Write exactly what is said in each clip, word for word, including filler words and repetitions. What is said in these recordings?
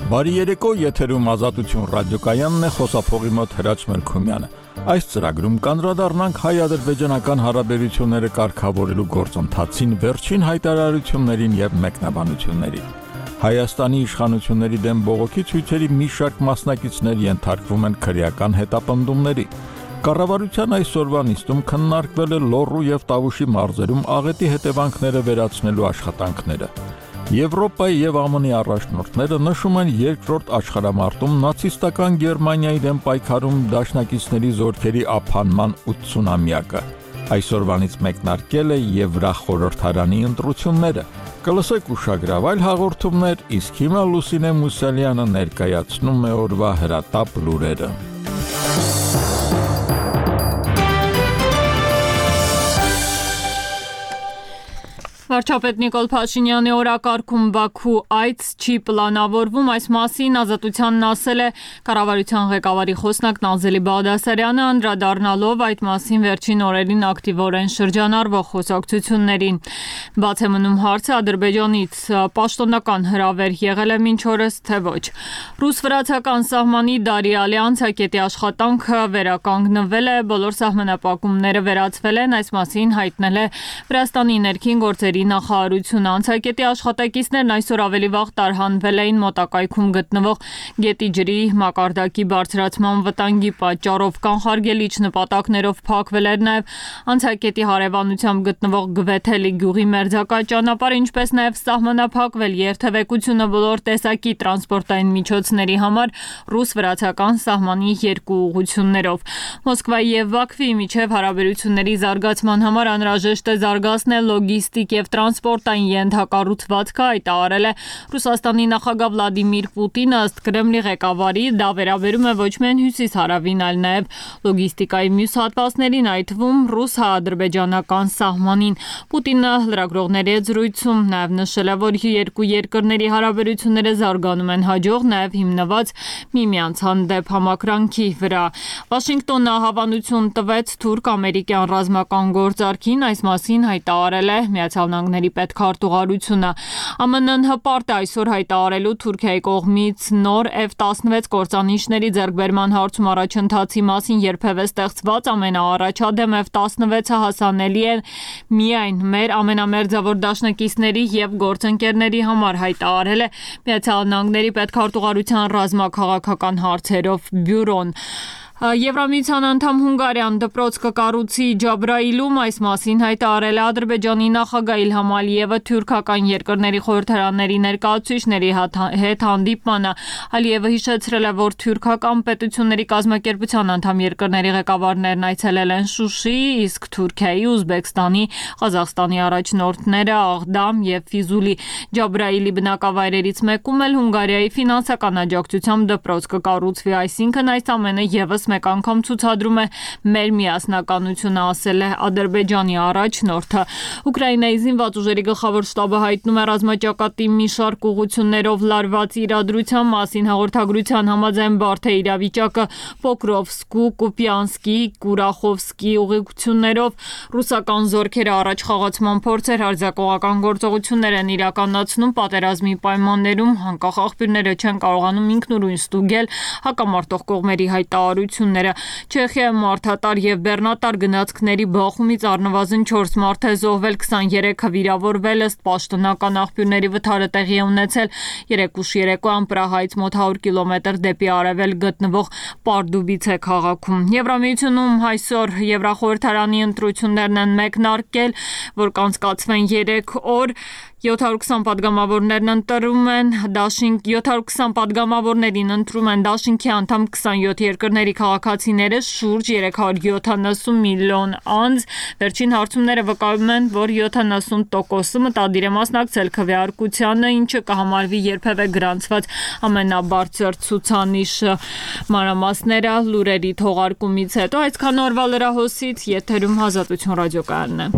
Բարի երեկո, եթերում Ազատություն ռադիոկայանն է, խոսափողի մոտ Հրաչ Մելքումյանը։ Այս ծրագրում կանդրադառնանք հայ-ադրբեջանական հարաբերությունները կարգավորելու գործընթացին, վերջին հայտարարություններին եւ մեկնաբանություններին։ Հայաստանի իշխանությունների դեմ բողոքի ցույցերի մի շարք մասնակիցներ ենթարկվում են քրեական հետապնդումների։ Կառավարության այսօրվա նիստում քննարկվել է Լոռու եւ Տավուշի մարզերում աղետի հետևանքները վերացնելու աշխատանքները։ Եվրոպայի եւ ԱՄՆ-ի առաջնորդները նշում են երկրորդ աշխարհամարտում նացիստական Գերմանիայի դեմ պայքարում դաշնակիցների զորքերի ափանման ութսունամյակը։ Այսօրվանից մեկնարկել է Եվրախորհրդարանի ընտրությունները։ Կլսեք ուշագրավ այլ հաղորդումներ, իսկ հիմա Լուսինե Մուսալյանը ներկայացնում է օրվա հրատապ լուրերը։ Վարչապետ Նիկոլ Փաշինյանի օրակարգում Բաքու այց չի պլանավորվում, այս մասին Ազատությանն ասել է կառավարության ղեկավարի խոսնակ Նազելի Բաղդասարյանը, անդրադառնալով այդ մասին վերջին օրերին ակտիվորեն շրջանառվող խոսակցություններին։ Բաց է մնում հարցը Ադրբեջանից պաշտոնական հրավեր եղել է մինչ օրս, թե ոչ։ Ռուս-վրացական սահմանի Դարիալի անցակետի աշխատանքը վերականգնվել է, բոլոր սահմանապակումները վերացվել են, այս մասին հայտնել է Վրաստանի ներքին գործերի նախարարությունը։ Անցակետի աշխատակիցներն այսօր ավելի վաղ տարհանվել էին մոտակայքում գտնվող գետի ջրի մակարդակի բարձրացման վտանգի պատճառով, կանխարգելիչ նպատակներով փակվել էր նաև անցակետի հարևանությամբ գտնվող Գվեթելի գյուղի մերձակա ճանապարհը, ինչպես նաև սահմանափակվել երթևեկությունը բոլոր տեսակի տրանսպորտային միջոցների համար ռուս-վրացական սահմանի երկու ուղղություններով։ Մոսկվայի եւ Բաքվի միջև հարաբերությունների զարգացման համար անհրաժեշտ է զարգացնել լոգիստիկ եւ տրանսպորտային ենթակառուցվածքը, հայտարարել է Ռուսաստանի նախագահ Վլադիմիր Պուտինը, ըստ Կրեմլի ղեկավարի, դա վերաբերում է ոչ միայն հյուսիս-հարավին, այլ նաեւ լոգիստիկայի մյուս հատվածներին, այդ թվում ռուս-ադրբեջանական սահմանին։ Պուտինը լրագրողների հետ զրույցում նաեւ նշել է, որ երկու երկրների հարաբերությունները զարգանում են հաջող, նաեւ հիմնված միմյանց հանդեպ համակրանքի վրա։ Վաշինգտոնը հավանություն տվեց թուրք-ամերիկյան ռազմական գործարքին, այս մասին հայտարարել է Միացյալ Նահանգների պետքարտուղարությունը։ ԱՄՆ-ն հպարտ է այսօր հայտարարելու Թուրքիայի կողմից նոր F տասնվեց կործանիչների ձեռքբերման հարցում առաջընթացի մասին, երբևէ ստեղծված ամենաառաջադեմ F տասնվեցը հասանելի է միայն մեր ամենամերձավոր դաշնակիցների եւ գործընկերների համար, հայտարարել է Միացյալ Նահանգների պետքարտուղարության ռազմաքաղաքական հարցերով բյուրոն։ Եվրամիության անդամ Հունգարիան դպրոց կկառուցի Ջաբրայիլում, այս մասին հայտարարել է Ադրբեջանի նախագահ Իլհամ Ալիևը թուրքական երկրների խորհրդարանների ներկայացուցիչների հետ հանդիպմանը։ Ալիևը հիշեցրել է, որ թուրքական պետությունների կազմակերպության անդամ երկրների ղեկավարներն այցելել են Շուշի, իսկ Թուրքիայի, Ուզբեկստանի, Ղազախստանի առաջնորդները Աղդամ եւ Ֆիզուլի Ջաբրայիլի բնակավայրերից մեկում էլ Հունգարիայի ֆինանսական աջակցությամբ դպրոց կկառուցվի, այսինքն այս ամենը եւս մեկ անգամ ցուցադրում է մեր միասնականությունը, ասել է Ադրբեջանի առաջնորդը։ Ուկրաինայի զինված ուժերի գլխավոր շտաբը հայտնում է ռազմաճակատի մի շարք ուղղություններով լարված իրադրության մասին, հաղորդագրության համաձայն բարդ է իրավիճակը Պոկրովսկու, Կուպյանսկի, Կուրախովսկի ուղղություններով ռուսական զորքերը առաջ խաղացման փորձեր, հարձակողական գործողություններ են իրականացնում պատերազմի պայմաններում, անկախ աղբյուրները չեն կարողանում ինքնուրույն ստուգել հակամարտող կողմերի հայտարարությունները։ Չեխիայում մարդատար եւ բեռնատար գնացքների բախումից առնվազն չորս մարդ է զոհվել, քսաներեքը վիրավորվել, ըստ պաշտոնական աղբյուրների վթարը տեղի է ունեցել երեկուշ երեկոյան Պրահայից մոտ հարյուր կիլոմետր դեպի արևել գտնվող Պարդուբիցե քաղաքում։ Եվրամիությունում այսօր Եվրախորհրդարանի ընտրություններն են մեկնարկել, որ կանցկացվեն երեք օր։ յոթ հարյուր քսան падգամավորներն ընտրում են դաշինք յոթ հարյուր քսան падգամավորներին ընտրում են դաշինքի անդամ քսանյոթ երկրների քաղաքացիները, շուրջ երեք հարյուր յոթանասուն միլիոն անձ։ Վերջին հարցումները վկայում են, որ յոթանասուն տոկոսը մտադիր է մասնակցել քվեարկությանը, ինչը կհամարվի երբևէ գրանցված ամենաբարձր ցուցանիշը։ Մանրամասները լուրերի թողարկումից հետո այսքան օրվա լրահոսից, եթերում Ազատություն ռադիոկայանն է։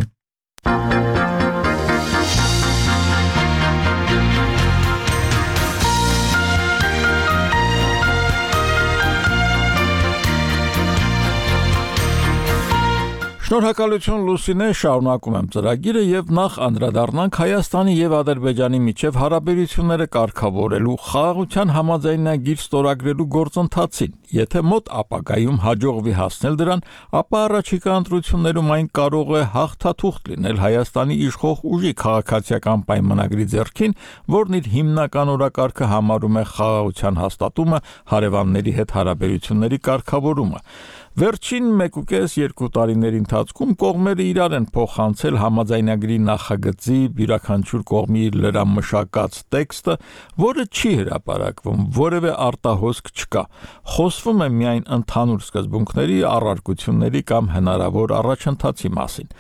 Շնորհակալություն Լուսինե, շարունակում եմ ծրագիրը եւ նախ անդրադառնանք Հայաստանի եւ Ադրբեջանի միջև հարաբերությունները կարգավորելու խաղաղության համաձայնագիր ստորագրելու գործընթացին։ Եթե մոտ ապագայում հաջողվի հասնել դրան, ապա առաջիկա ընտրություններում այն կարող է հաղթաթուղթ լինել Հայաստանի իշխող ուժի քաղաքացիական պայմանագրի ձեռքին, որն իր հիմնական օրակարգը համարում է խաղաղության հաստատումը, հարևանների հետ հարաբերությունների կարգավորումը։ Վերջին մեկուկես երկու տարիների ընթացքում կողմերը իրար են փոխանցել համաձայնագրի նախագծի յուրաքանչյուր կողմի լրամշակած տեքստը, որը չի հրապարակվում, որևէ արտահոսք չկա։ Խոսվում է միայն ընդհանուր սկզբունքների, առարկությունների կամ հնարավոր առաջընթացի մասին։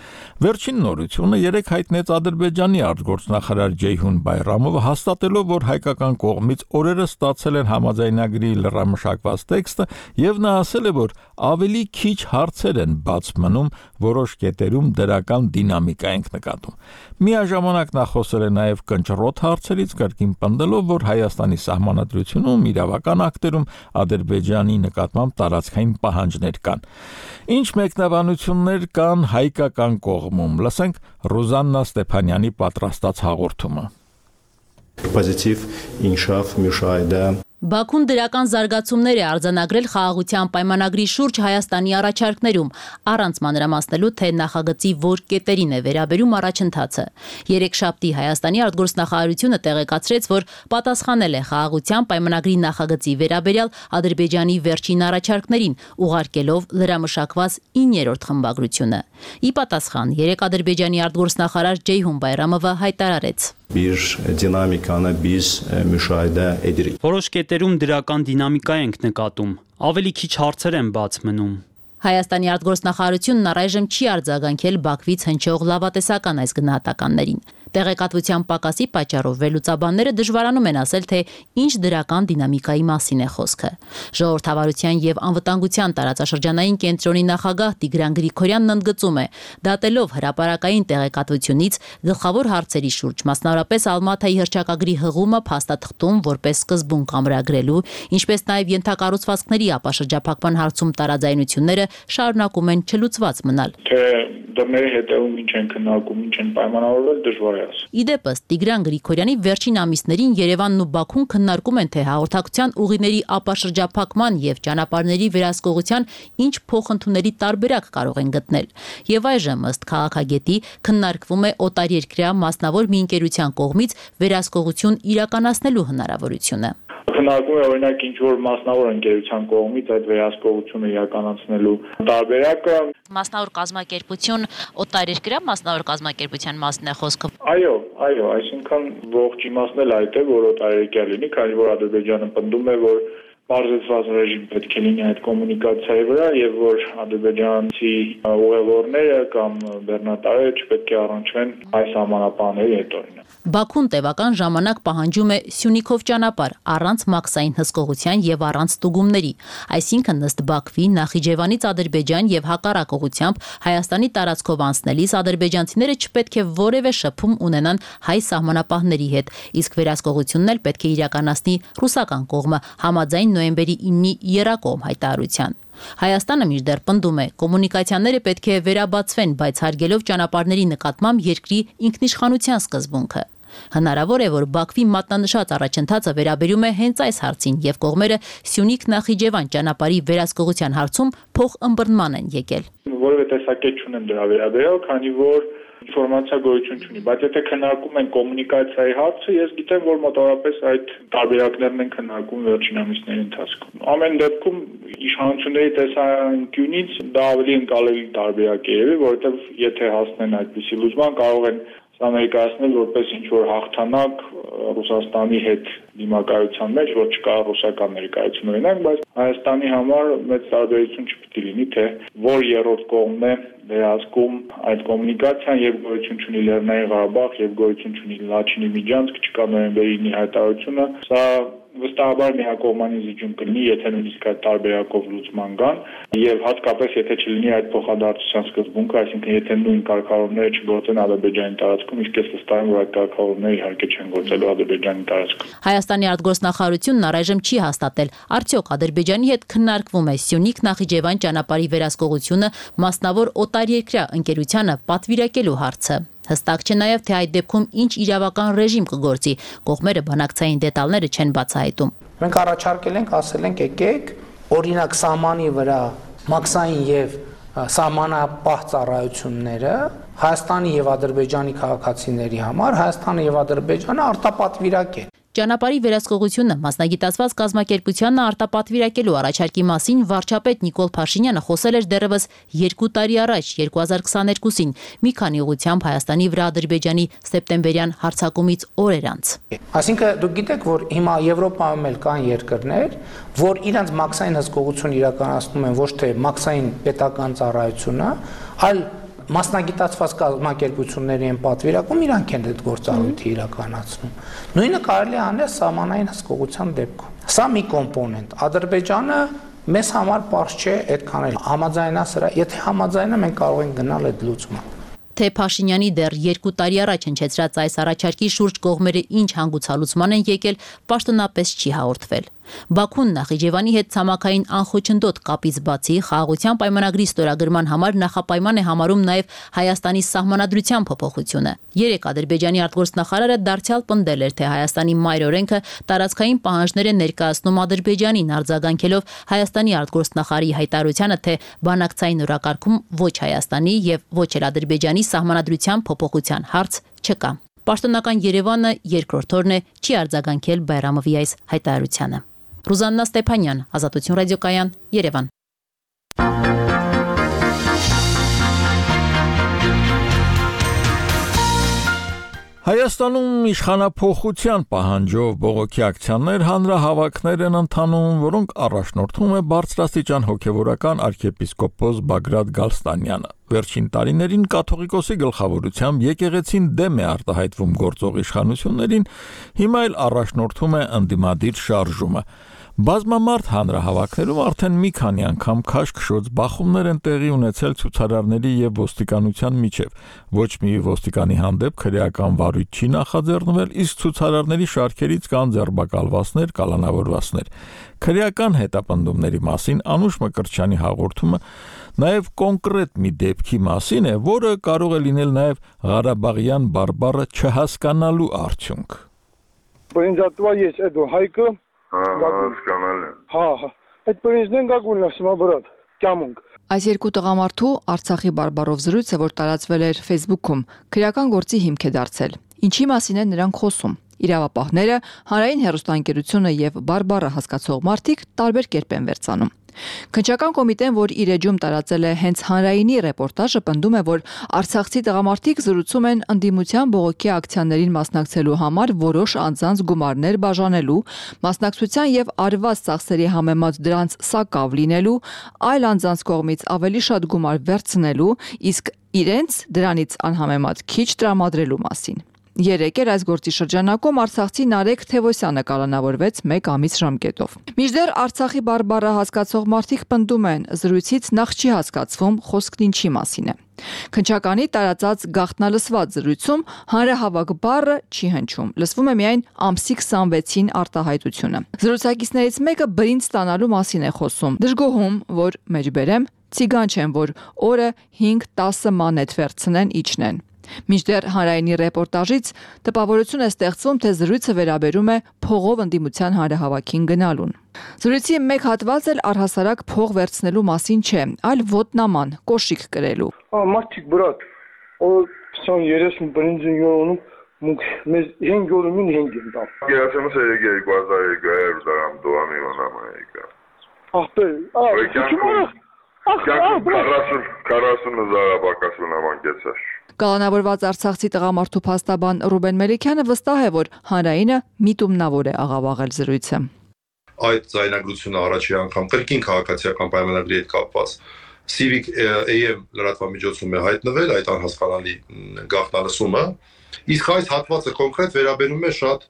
Վերջին նորությունը երեք հայտնեց Ադրբեջանի արտգործնախարար Ջեյհուն Բայրամովը, հաստատելով, որ հայկական կողմից օրերս ստացել են համաձայնագրի լրամշակված տեքստը, եւ նա ասել է, որ ավելի քիչ հարցեր են բաց մնում, որոշ կետերում դրական դինամիկա ենք նկատում։ Միաժամանակ նա խոսել է նաև կնճռոտ հարցերից, կրկին պնդելով, որ Հայաստանի սահմանադրությունում իրավական ակտերում Ադրբեջանի նկատմամբ տարածքային պահանջներ կան։ Ինչ մեկնաբանություններ կան հայկական կողմում, լսենք Ռուզաննա Ստեփանյանի պատրաստած հաղորդումը։ Pozitiv inşaat müşahede Բաքուն դրական զարգացումներ է արձանագրել խաղաղության պայմանագրի շուրջ Հայաստանի առաջարկներում, առանց մանրամասնելու, թե նախագծի որ կետերին է վերաբերում առաջընթացը։ Երեքշաբթի Հայաստանի արտգործնախարարությունը տեղեկացրեց, որ պատասխանել է խաղաղության պայմանագրի նախագծի վերաբերյալ Ադրբեջանի վերջին առաջարկներին, ուղարկելով լրամշակված իններորդ խմբագրությունը։ Ի պատասխան երեք Ադրբեջանի արտգործնախարար Ջեյհուն Բայրամովը հայտարարեց. bir dinamikanı biz müşahede edirik. Որոշ կետերում դրական դինամիկա ենք նկատում։ Ավելի քիչ հարցեր են բաց մնում։ Հայաստանի արտգործնախարարությունն առայժմ չի արձագանքել Բաքվից հնչող լավատեսական այս գնահատականներին։ Տեղեկատվության պակասի պատճառով վերլուծաբանները դժվարանում են ասել, թե ինչ դրական դինամիկայի մասին է խոսքը։ Ժողովրդավարության եւ անվտանգության տարածաշրջանային կենտրոնի նախագահ Տիգրան Գրիգորյանն ընդգծում է, դատելով հրապարակային տեղեկատվությունից գլխավոր հարցերի շուրջ, մասնավորապես Ալմաթայի հռչակագրի հղումը փաստաթղթում որպես սկզբունք ամրագրելու, ինչպես նաեւ ենթակառուցվածքների ապաշրջափակման հարցում տարաձայնությունները շարունակում են չլուծված մնալ։ Թե դռների հետևում ինչ են քննարկում, ինչ են պայմանավորվել, դժվար է ասել։ Իդեպս Տիգրան Գրիգորյանի վերջին ամիսներին Երևանն ու Բաքուն քննարկում են, թե հաղորդակցության ուղիների ապաշրջափակման եւ ճանապարհների վերահսկողության ինչ փոխընդունելի տարբերակ կարող են գտնել։ Եվ այժմ ըստ քաղաքագետի քննարկվում է օտարերկրյա մասնավոր մի ընկերության կողմից վերահսկողություն իրականացնելու հնարավորությունը։ Քննարկում է օրինակ ինչ որ մասնավոր ընկերության կողմից այդ վերահսկողությունը իրականացնելու տարբերակը։ Մասնավոր կազմակերպություն օտարերկրյա մասնավոր կազմակերպության մասն է խոսքը։ Այո, այո, այսինքն ողջ իմաստն էլ այդ է, որ օտարերկրյա լինի, քանի որ Ադրբեջանը պնդում է, որ բարձրացված ռեժիմ պետք է լինի այդ կոմունիկացիայի վրա եւ որ ադրբեջանցի ուղևորները կամ բեռնատարները չպետք է առնչվեն այս համանապանների հետ օրինակ։ Բաքուն տևական ժամանակ պահանջում է Սյունիքով ճանապարհ առանց մաքսային հսկողության եւ առանց ստուգումների, այսինքն ըստ Բաքվի Նախիջևանից Ադրբեջան եւ հակառակ ուղղությամբ Հայաստանի տարածքով անցնելիս ադրբեջանցիները չպետք է որևէ շփում ունենան հայ սահմանապահների հետ, իսկ վերահսկողությունն էլ պետք է իրականացնի ռուսական կողմը համաձայն նոյեմբերի իննի եռակողմ հայտարարության։ Հայաստանը մինչդեռ պնդում է, կոմունիկացիաները պետք է վերաբացվեն, բայց հարգելով ճանապարհների նկատմամբ երկրի ինքնիշխանության սկզբունքը։ Հնարավոր է, որ Բաքվի մատնանշած առաջընթացը վերաբերում է հենց այս հարցին եւ կողմերը Սյունիք-Նախիջևան ճանապարհի վերահսկողության հարցում փոխըմբռնման են եկել։ Որևէ տեսակետ չունեմ դրա վերաբերյալ, քանի որ ինֆորմացիա գոյություն չունի, բայց եթե քննարկում են կոմունիկացիայի հարցը, ես գիտեմ, որ մոտավորապես այդ տարբերակներն են քննարկում վերջին ամիսների ընթացքում։ Ամեն դեպքում իշխանությունների տեսանկյունից դա ավելի ընկալելի տարբերակ է եղել, որովհետև եթե հասնեն այդպիսի լուծման, կարող են սա ներկայացնել որպես ինչ որ հաղթանակ Ռուսաստանի հետ դիմակայության մեջ, որ չկա ռուսական ներկայություն օրինակ, բայց Հայաստանի համար մեծ տարբերություն չպետք է լինի, թե որ երրորդ կողմն է վերահսկում այդ կոմունիկացիան եւ գոյություն չունի Լեռնային Ղարաբաղ եւ գոյություն չունի Լաչինի Միջանցք, չկա նոյեմբերի ինի հայտարարությունը, սա վստահաբար միակողմանի զիջում կլինի, եթե նույնիսկ այդ տարբերակով լուծման գան, եւ հատկապես եթե չլինի այդ փոխադարձության սկզբունքը, այսինքն եթե նույն կարգավորումները չգործեն Ադրբեջանի տարածքում, իսկ ես վստահ եմ, որ այդ կարգավորումները իհարկե չեն գործելու Ադրբեջանի տարածքում։ Հայաստանի արտգործնախարարությունն առայժմ չի հաստատել, արդյոք Ադրբեջանի հետ քննարկվում է Սյունիք-Նախիջևան ճանապարհի վերահսկողությունը մասնավոր օտարերկրյա ընկերությանը պատվիրակելու հարցը։ Հստակ չէ նաև, թե այդ դեպքում ինչ իրավական ռեժիմ կգործի, կողմերը բանակցային դետալները չեն բացահայտում։ Մենք առաջարկել ենք, ասել ենք, եկեք, օրինակ սահմանի վրա մաքսային եւ սահմանապահ ծառայությունները Հայաստանի եւ Ադրբեջանի քաղաքացիների համար Հայաստանը եւ Ադրբեջանը արտապատվիրակեն։ Ճանապարհի վերահսկողությունը մասնագիտացված կազմակերպությանը արտապատվիրակելու առաջարկի մասին վարչապետ Նիկոլ Փաշինյանը խոսել էր դեռևս երկու տարի առաջ, երկու հազար քսաներկուսին, մի քանի ուղղությամբ Հայաստանի վրա Ադրբեջանի սեպտեմբերյան հարձակումից օրեր անց։ Այսինքն դուք գիտեք, որ հիմա Եվրոպայում էլ կան երկրներ, որ իրենց մաքսային հսկողություն իրականացնում են ոչ թե մաքսային պետական ծառայությունը, այլ մասնագիտացված կազմակերպությունների են պատվիրակում, իրանք են այդ գործառույթը իրականացնում։ Նույնը կարելի է անել սահմանային հսկողության դեպքում։ Սա մի կոմպոնենտ։ Ադրբեջանը մեզ համար պարզ չէ այդքան էլ համաձայնա սրա, եթե համաձայնա մենք կարող ենք գնալ այդ լուծման։ Թե Փաշինյանի դեռ երկու տարի առաջ հնչեցրած այս առաջարկի շուրջ կողմերը ինչ հանգուցալուծման են եկել, պաշտոնապես չի հաղորդվել։ Բաքուն Նախիջևանի հետ ցամաքային անխոչնդոտ կապից բացի խաղաղության պայմանագրի ստորագրման համար նախապայման է համարում նաև Հայաստանի սահմանադրության փոփոխությունը։ Երեք Ադրբեջանի արտգործնախարարը դարձյալ պնդել էր, թե Հայաստանի մայր օրենքը տարածքային պահանջներ է ներկայացնում Ադրբեջանին, արձագանքելով Հայաստանի արտգործնախարարի հայտարարությանը, թե բանակցային օրակարգում ոչ Հայաստանի եւ ոչ էլ Ադրբեջանի սահմանադրության փոփոխության հարց չկա։ Պաշտոնական Երևանը երկրորդ օրն է չի արձագանքել Բայրամովի այս հայտարարությանը։ Ռուզաննա Ստեփանյան, Ազատություն ռադիոկայան, Երևան։ Հայաստանում իշխանափոխության պահանջով բողոքի ակցիաներ, հանրահավաքներ են ընթանում, որոնք առաջնորդում է բարձրաստիճան հոգևորական arczepiskopos Բագրատ Գալստանյանը։ Վերջին տարիներին կաթողիկոսի գլխավորությամբ եկեղեցին դեմ է արտահայտվում գործող իշխանություններին, հիմա էլ առաջնորդում է ընդդիմադիր շարժումը։ Բազմամարդ հանրահավաքներում արդեն մի քանի անգամ քաշքշոց բախումներ են տեղի ունեցել ցուցարարների եւ ոստիկանության միջև։ Ոչ մի ոստիկանի հանդեպ քրեական վարույթ չի նախաձեռնվել, իսկ ցուցարարների շարքերից կան ձերբակալվածներ, կալանավորվածներ։ Քրեական հետապնդումների մասին Անուշ Մկրտչյանի հաղորդումը նաեւ կոնկրետ մի դեպքի մասին է, որը կարող է լինել նաեւ Ղարաբաղյան բարբառը չհասկանալու արդյունք։ Հա, հա, այդ պրինցն գագուլն ասում բրատ, կամունք։ Այս երկու տղամարդու Արցախի բարբառով զրույցը, որ տարածվել էր Facebook-ում, քրեական գործի հիմք է դարձել։ Ինչի մասին են նրանք խոսում։ Իրավապահները, հանրային հեռուստաընկերությունը եւ բարբառը հասկացող մարդիկ տարբեր կերպ են վերցանում։ Քննչական կոմիտեն, որ իր էջում տարածել է հենց հանրայինի ռեպորտաժը, պնդում է, որ արցախցի տղամարդիկ զրուցում են ընդդիմության բողոքի ակցիաներին մասնակցելու համար որոշ անձանց գումարներ բաժանելու, մասնակցության եւ արված ծախսերի համեմատ դրանց սակավ լինելու, այլ անձանց կողմից ավելի շատ գումար վերցնելու, իսկ իրենց դրանից անհամեմատ քիչ տրամադրելու մասին։ Երեկ էր այս գործի շրջանակում արցախցի Նարեկ Թևոսյանը կալանավորվեց մեկ ամիս ժամկետով։ Մինչդեռ Արցախի բարբառը հասկացող մարդիկ պնդում են, զրույցից նախ չի հասկացվում խոսքն ինչի մասին է։ Քննչականի տարածած գաղտնալսված զրույցում հանրահավաք բառը չի հնչում, լսվում է միայն ամսի քսանվեցին արտահայտությունը։ Զրուցակիցներից մեկը բրինձ ստանալու մասին է խոսում, դժգոհում, որ մեջբերեմ, ցիգան չեն, որ օրը հինգ տասը մանեթ վերցնեն իջնեն։ Մինչդեռ հանրայինի ռեպորտաժից տպավորություն է ստեղծվում, թե զրույցը վերաբերում է փողով ընդդիմության հանրահավաքին գնալուն։ Զրույցի մեկ հատված էլ առհասարակ փող վերցնելու մասին չէ, այլ ոտնաման, կոշիկ կրելու։ Մարդիկ բրատ, ո երեսուն բրինձին յորոնում մուք մեզ հինգ յորումին հինգ են տամ։ Գերասեմս է երկու հազար երկու դրամ դոամի ոնամ այկա։ Ահբե, ահ, քիչումարը։ քառասուն հազար բակասուն ամանկեցաշ։ Կալանավորված արցախցի տղամարդու փաստաբան Ռուբեն Մելիքյանը վստահ է, որ հանրայինը միտումնավոր է աղավաղել զրույցը։ Այդ ձայնագրությունը առաջի անգամ կրկին քաղաքացիական պայմանագրի հետ կապված Civic A M լրատվամիջոցում է հայտնվել այդ անհասկանալի գաղտնալսումը, Իսկ այս հատվածը կոնկրետ վերաբերում է շատ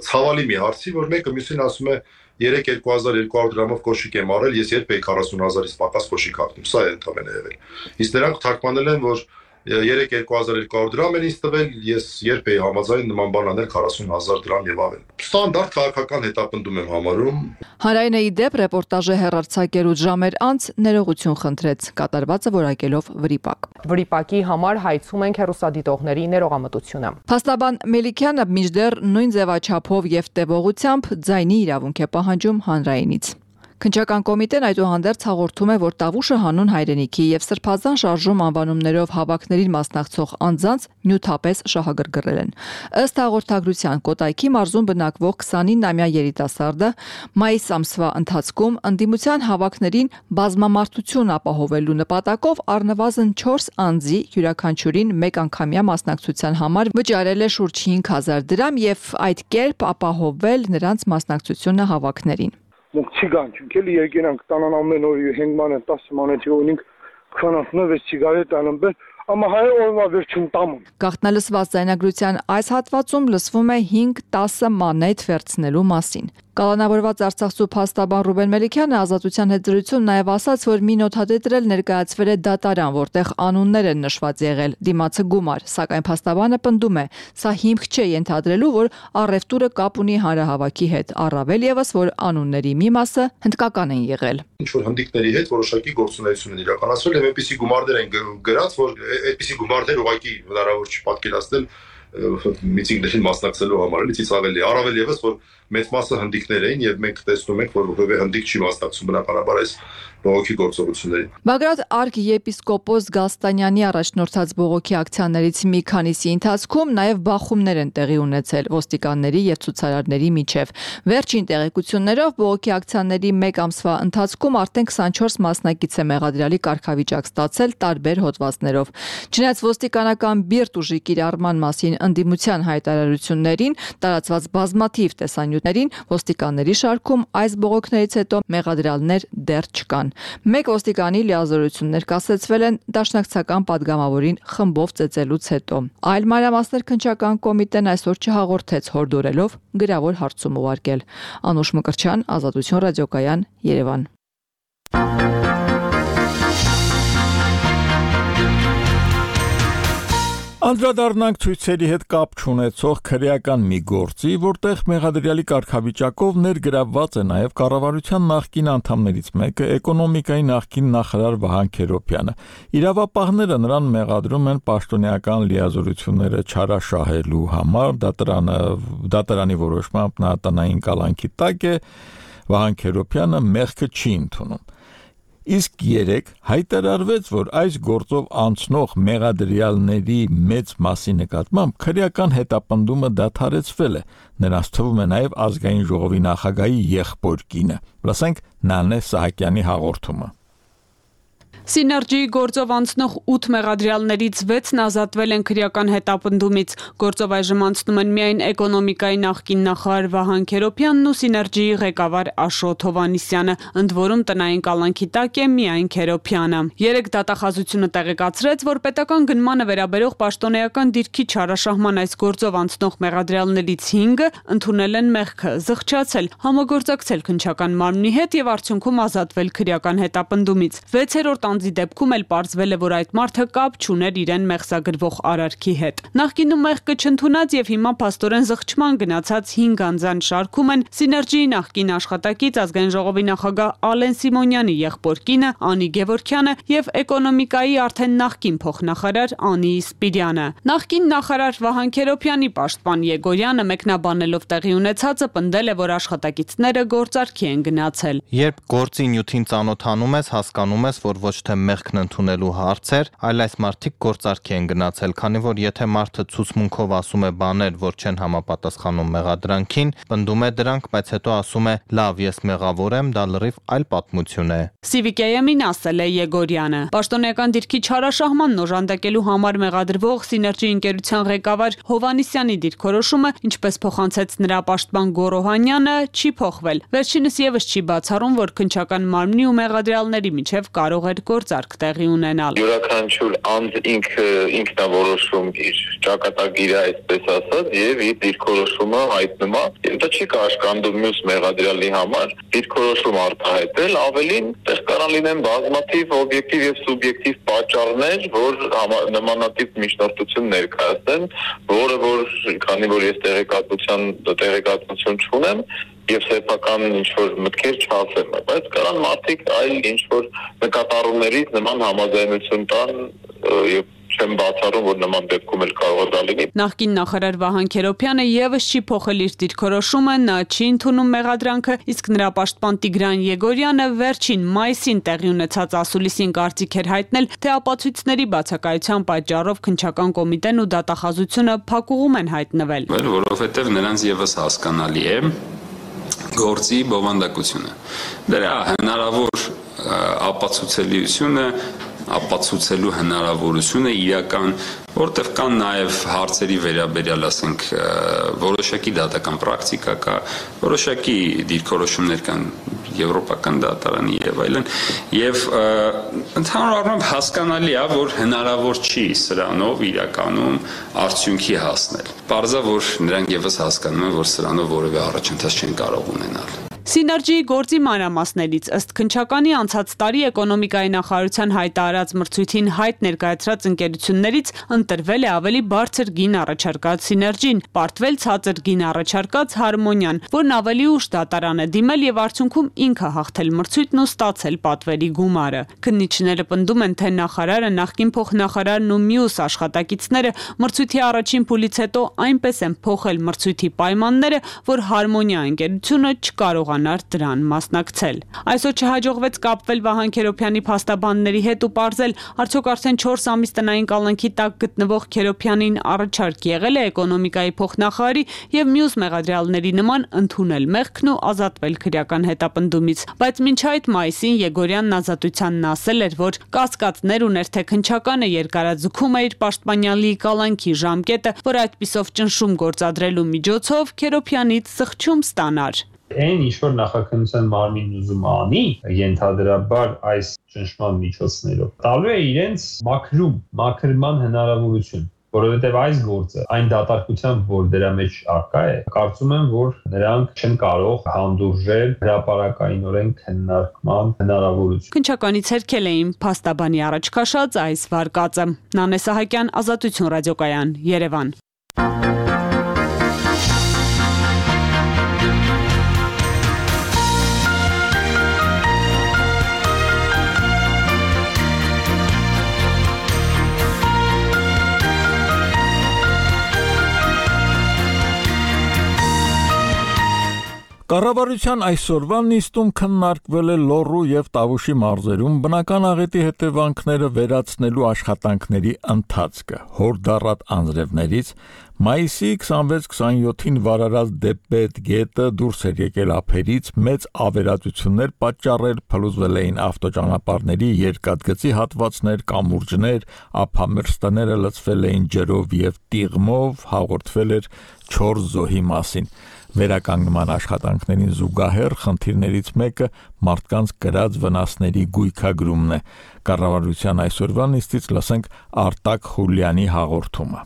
ցավալի մի հարցի, որ մեկը մյուսին ասում է երեք երկու հազար երկու հարյուր դրամով կոշիկ եմ արել, ես երբ էի քառասուն հազարից պակաս կոշիկ աղտում, սա է ընդհանրապես եղել։ Իսկ նրանք թարգմանել են, որ երեք երկու հազար երկու հարյուր դրամ են ինձ տվել, ես երբ էի համաձայն նման բան անել քառասուն հազար դրամ եւ ավել։ Ստանդարտ քաղաքական հետապնդում եմ համարում։ Հանրայինը ի դեպ ռեպորտաժը հեռարձակելուց ժամեր անց ներողություն խնդրեց, կատարվածը որակելով վրիպակ։ Վրիպակի համար հայցում ենք հեռուստադիտողների ներողամտությունը։ Փաստաբան Մելիքյանը մինչդեռ նույն ձևաչափով եւ տևողությամբ ձայնի իրավունք է պահանջում հանրայինից։ Քննչական կոմիտեն այդուհանդերձ հաղորդում է, որ Տավուշը հանուն հայրենիքի եւ սրբազան շարժում անվանումներով հավաքներին մասնակցող անձանց նյութապես շահագրգռել են։ Ըստ հաղորդագրության Կոտայքի մարզում բնակվող քսանինամյա երիտասարդը մայիս ամսվա ընթացքում ընդդիմության հավաքներին բազմամարդություն ապահովելու նպատակով առնվազն չորս անձի յուրաքանչյուրին մեկ անգամյա մասնակցության համար վճարել է շուրջ հինգ հազար դրամ եւ այդ կերպ ապահովել նրանց մասնակցությունը հավաքներին։ Մենք չգանք, եկել եկենանք տանան ամեն օր հինգ մանեթ, տասը մանեթ ունենք, քանասնով սիգարետ անում, amma հայ օրվա վերջում տամում։ Գաղտնալսված ձայնագրության այս հատվածում լսվում է հինգ տասը մանեթ վերցնելու մասին։ Կալանավորված արցախցու փաստաբան Ռուբեն Մելիքյանը ազատության հետ զրույցում նաև ասաց, որ մի նոթատետրել ներկայացվել է դատարան, որտեղ անուններ են նշված եղել, դիմացը գումար, սակայն փաստաբանը պնդում է, սա հիմք չէ ենթադրելու, որ առևտուրը կապ ունի հանրահավաքի հետ, առավել եւս, որ անունների մի մասը հնդկական են եղել։ Ինչ որ հնդիկների հետ որոշակի գործունեություն են իրականացրել եւ այնպիսի գումարներ են գրած, որ այդպիսի գումարներ ուղղակի հնարավոր չի պատկերացնել միտինգներին մասնակցելու համար, էլի ցավելի, առավել եւս, որ մեծ մասը հնդիկներ էին եւ մենք տեսնում ենք, որ ովևէ հնդիկ չի մասնակցում բնականաբար այս բողոքի գործողություններին։ Բագրատ արքեպիսկոպոս Գալստանյանի առաջնորդած բողոքի ակցիաներից մի քանիսի ընթացքում նաև բախումներ են տեղի ունեցել ոստիկանների եւ ցուցարարների միջև։ Վերջին տեղեկություններով բողոքի ակցիաների մեկ ամսվա ընթացքում արդեն քսանչորս մասնակից է մեղադրյալի կարգավիճակ ստացել տարբեր հոդվածներով։ Չնայած ոստիկանական բիրտ ուժի կիրառման մասին ընդդիմության հայտարարություններին, տարածված բազմաթիվ տեսանյութերին, ոստիկանների շարքում այս բողոքներից հետո մեղադրյալներ դեռ չկան։ Մեկ ոստիկանի լիազորություններ կասեցվել են դաշնակցական падգամավորին խմբով ծեծելուց հետո։ Այլ մանրամասներ քննչական կոմիտեն այսօր չհաղորդեց հորդորելով գրավոր հարցում ուղարկել։ Անուշ Մկրտչյան, Ազատություն ռադիոկայան, Երևան։ Անդրադառնանք ցույցերի հետ կապ չունեցող քրեական մի գործի, որտեղ մեղադրյալի կարգավիճակով ներգրավված է նաև կառավարության նախկին անդամներից մեկը, էկոնոմիկայի նախկին նախարար Վահան Քերոբյանը։ Իրավապահները նրան մեղադրում են պաշտոնեական լիազորությունները չարաշահելու համար, դատարանը դատարանի որոշմամբ նա տնային կալանքի տակ է, Վահան Քերոբյանը մեղքը չի ընդունում։ Իսկ երեք հայտարարվեց, որ այս գործով անցնող մեղադրյալների մեծ մասի նկատմամբ քրեական հետապնդումը դադարեցվել է։ Նրանց թվում է նաև ազգային ժողովի նախագահի եղբոր կինը։ Լսենք Նանե Սահակյանի հաղորդումը։ Սիներգիի գործով անցնող ութ մեղադրյալներից վեցն ազատվել են քրեական հետապնդումից։ Գործով այժմ անցնում են միայն էկոնոմիկայի նախկին նախարար Վահան Քերոբյանն ու Սիներգիի ղեկավար Աշոտ Հովհաննիսյանը, ընդ որում տնային կալանքի տակ է միայն Քերոբյանը։ Երեք դատախազությունը տեղեկացրեց, որ պետական գնմանը վերաբերող պաշտոնեական դիրքի չարաշահման այս գործով անցնող մեղադրյալներից հինգը ընդունել են մեղքը, զղջացել, համագործակցել քննչական մարմնի հետ եւ արդյունքում ազատվել քրեական հետապնդումից։ վեցերորդ անձի դեպքում էլ պարզվել է, որ այդ մարդը կապ չուներ իրեն մեղսագրվող արարքի հետ։ Նախկինում մեղքը չընդունած եւ հիմա փաստորեն զղջման գնացած հինգ անձան շարքում են Սիներգիի նախկին աշխատակից ազգային ժողովի նախագահ Ալեն Սիմոնյանի եղբոր կինը Անի Գևորգյանը եւ էկոնոմիկայի արդեն նախկին փոխնախարար Անի Սպիրյանը։ Նախկին նախարար Վահան Քերոբյանի պաշտպան Եգորյանը մեկնաբանելով տեղի ունեցածը պնդել է, որ աշխատակիցները գործարքի են գնացել։ Երբ գործի նյութին ծանոթանում ես, հասկանում ես, որ ոչ թե մեղքն ընդունելու հարց էր, այլ այս մարդիկ գործարքի են գնացել, քանի որ եթե մարդը ցուցմունքով ասում է բաներ, որ չեն համապատասխանում մեղադրանքին, պնդում է դրանք, բայց հետո ասում է՝ լավ, ես մեղավոր եմ, դա լրիվ այլ պատմություն է։ Civic-ին ասել է Եգորյանը։ Պաշտոնեական դիրքի չարաշահմանն օժանդակելու համար մեղադրվող Սիներգի ընկերության ղեկավար Հովհաննիսյանի դիրքորոշումը, ինչպես փոխանցեց նրա պաշտպան Գորոհանյանը, չի փոխվել։ Վերջինս եւս չի բացառում, որ քննչական մարմնի ու մեղադրյալների միջև կարող էր գործարք տեղի ունենալ։ Յուրաքանչյուր անձ ինքը ինքնավորոշում իր ճակատագիրը, այսպես ասած, եւ իր դիրքորոշումը հայտնում է։ Դա չի կաշկանդում մյուս մեղադրյալի համար դիրքորոշում արտահայտել, ավելին տեղ կարող լինեն բազմաթիվ օբյեկտիվ եւ սուբյեկտիվ պատճառներ, որ նմանատիպ միջնորդություն ներկայացնեն, որը որ քանի որ ես տեղեկատվության տեղեկատվություն չունեմ եւ սեփական ինչ-որ մտքեր չասեմ, բայց կարան մարդիկ այլ ինչ-որ նկատառումներից նման համաձայնություն տան եւ չեմ բացառում, որ նման դեպքում էլ կարող է լինի։ Նախկին նախարար Վահան Քերոբյանը եւս չի փոխել իր դիրքորոշումը, նա չի ընդունում մեղադրանքը, իսկ նրա պաշտպան Տիգրան Եգորյանը վերջին մայիսին տեղի ունեցած ասուլիսին կարծիք էր հայտնել, թե ապացույցների բացակայության պատճառով քննչական կոմիտեն ու դատախազությունը փակուղում են հայտնվել։ Որովհետեւ նրանց եւս հասկանալի է գործի բովանդակությունը։ Դրա հնարավոր ապացուցելիությունը ապացուցելու հնարավորությունը իրական, որտեղ կան նաև հարցերի վերաբերյալ, ասենք, որոշակի դատական պրակտիկա կա, որոշակի դիրքորոշումներ կան եվրոպական դատարանի եւ այլն, եւ ընդհանուր առմամբ հասկանալի է, որ հնարավոր չի սրանով իրականում արդյունքի հասնել։ Պարզա, որ նրանք եւս հասկանում են, որ սրանով որևէ առաջընթաց չեն կարող ունենալ։ Սիներգիի գործի մանրամասներից ըստ քննչականի անցած տարի էկոնոմիկայի նախարարության հայտարարած մրցույթին հայտ ներկայացրած ընկերություններից ընտրվել է ավելի բարձր գին առաջարկած Սիներգին, պարտվել ցածր գին առաջարկած Հարմոնիան, որն ավելի ուշ դատարան է դիմել եւ արդյունքում ինքը հաղթել մրցույթն ու ստացել պատվերի գումարը։ Քննիչները պնդում են, թե նախարարը, նախկին փոխնախարարն ու մյուս աշխատակիցները մրցույթի առաջին փուլից հետո այնպես են փոխել մրցույթի պայմանները, որ Հարմոնիա ընկերությունը չկարողանա դրան մասնակցել։ Այսօր չհաջողվեց կապվել Վահան Քերոբյանի փաստաբանների հետ ու պարզել, արդյոք արդեն չորս ամիս տնային կալանքի տակ գտնվող Քերոբյանին առաջարկ եղել է էկոնոմիկայի փոխնախարարի եւ մյուս մեղադրյալների նման ընդունել մեղքն ու ազատվել քրեական հետապնդումից, բայց մինչ այդ մայիսին Եգորյանն ազատությանն ասել էր, որ կասկածներ ուներ, թե քննչականը երկարաձգում է իր պաշտպանյալի կալանքի ժամկետը, որ այդպիսով ճնշում գործադրելու միջոցով Քերոբյանից սղճում ստանար։ Այն ինչ-որ նախաքննության մարմինն ուզում անի, ենթադրաբար այս ճնշման միջոցներով, տալու է իրենց մաքրում, մաքրման հնարավորություն, որովհետև այս գործը այն դատարկությամբ, որ դրա մեջ առկա է, կարծում եմ, որ նրանք չեն կարող հանդուրժել հրապարակայինորեն քննարկման հնարավորություն։ Քննչականից հերքել էին փաստաբանի առաջ քաշած այս վարկածը։ Նանե Սահակյան, Ազատություն ռադիոկայան, Երևան։ Կառավարության այսօրվա նիստում քննարկվել է Լոռու եւ Տավուշի մարզերում բնական աղետի հետևանքները վերացնելու աշխատանքների ընթացքը։ Հորդառատ անձրևներից մայիսի քսանվեց քսանյոթին վարարած Դեպետ գետը դուրս էր եկել ափերից, մեծ ավերածություններ պատճառել, փլուզվել էին ավտոճանապարհների երկաթգծի հատվածներ, կամուրջներ, ափամերձտները լցվել էին ջրով եւ տիղմով, հաղորդվել էր չորս զոհի մասին։ Վերականգնման աշխատանքներին զուգահեռ խնդիրներից մեկը մարդկանց կրած վնասների գույքագրումն է։ Կառավարության այսօրվա նիստից լսենք Արտակ Խուլյանի հաղորդումը։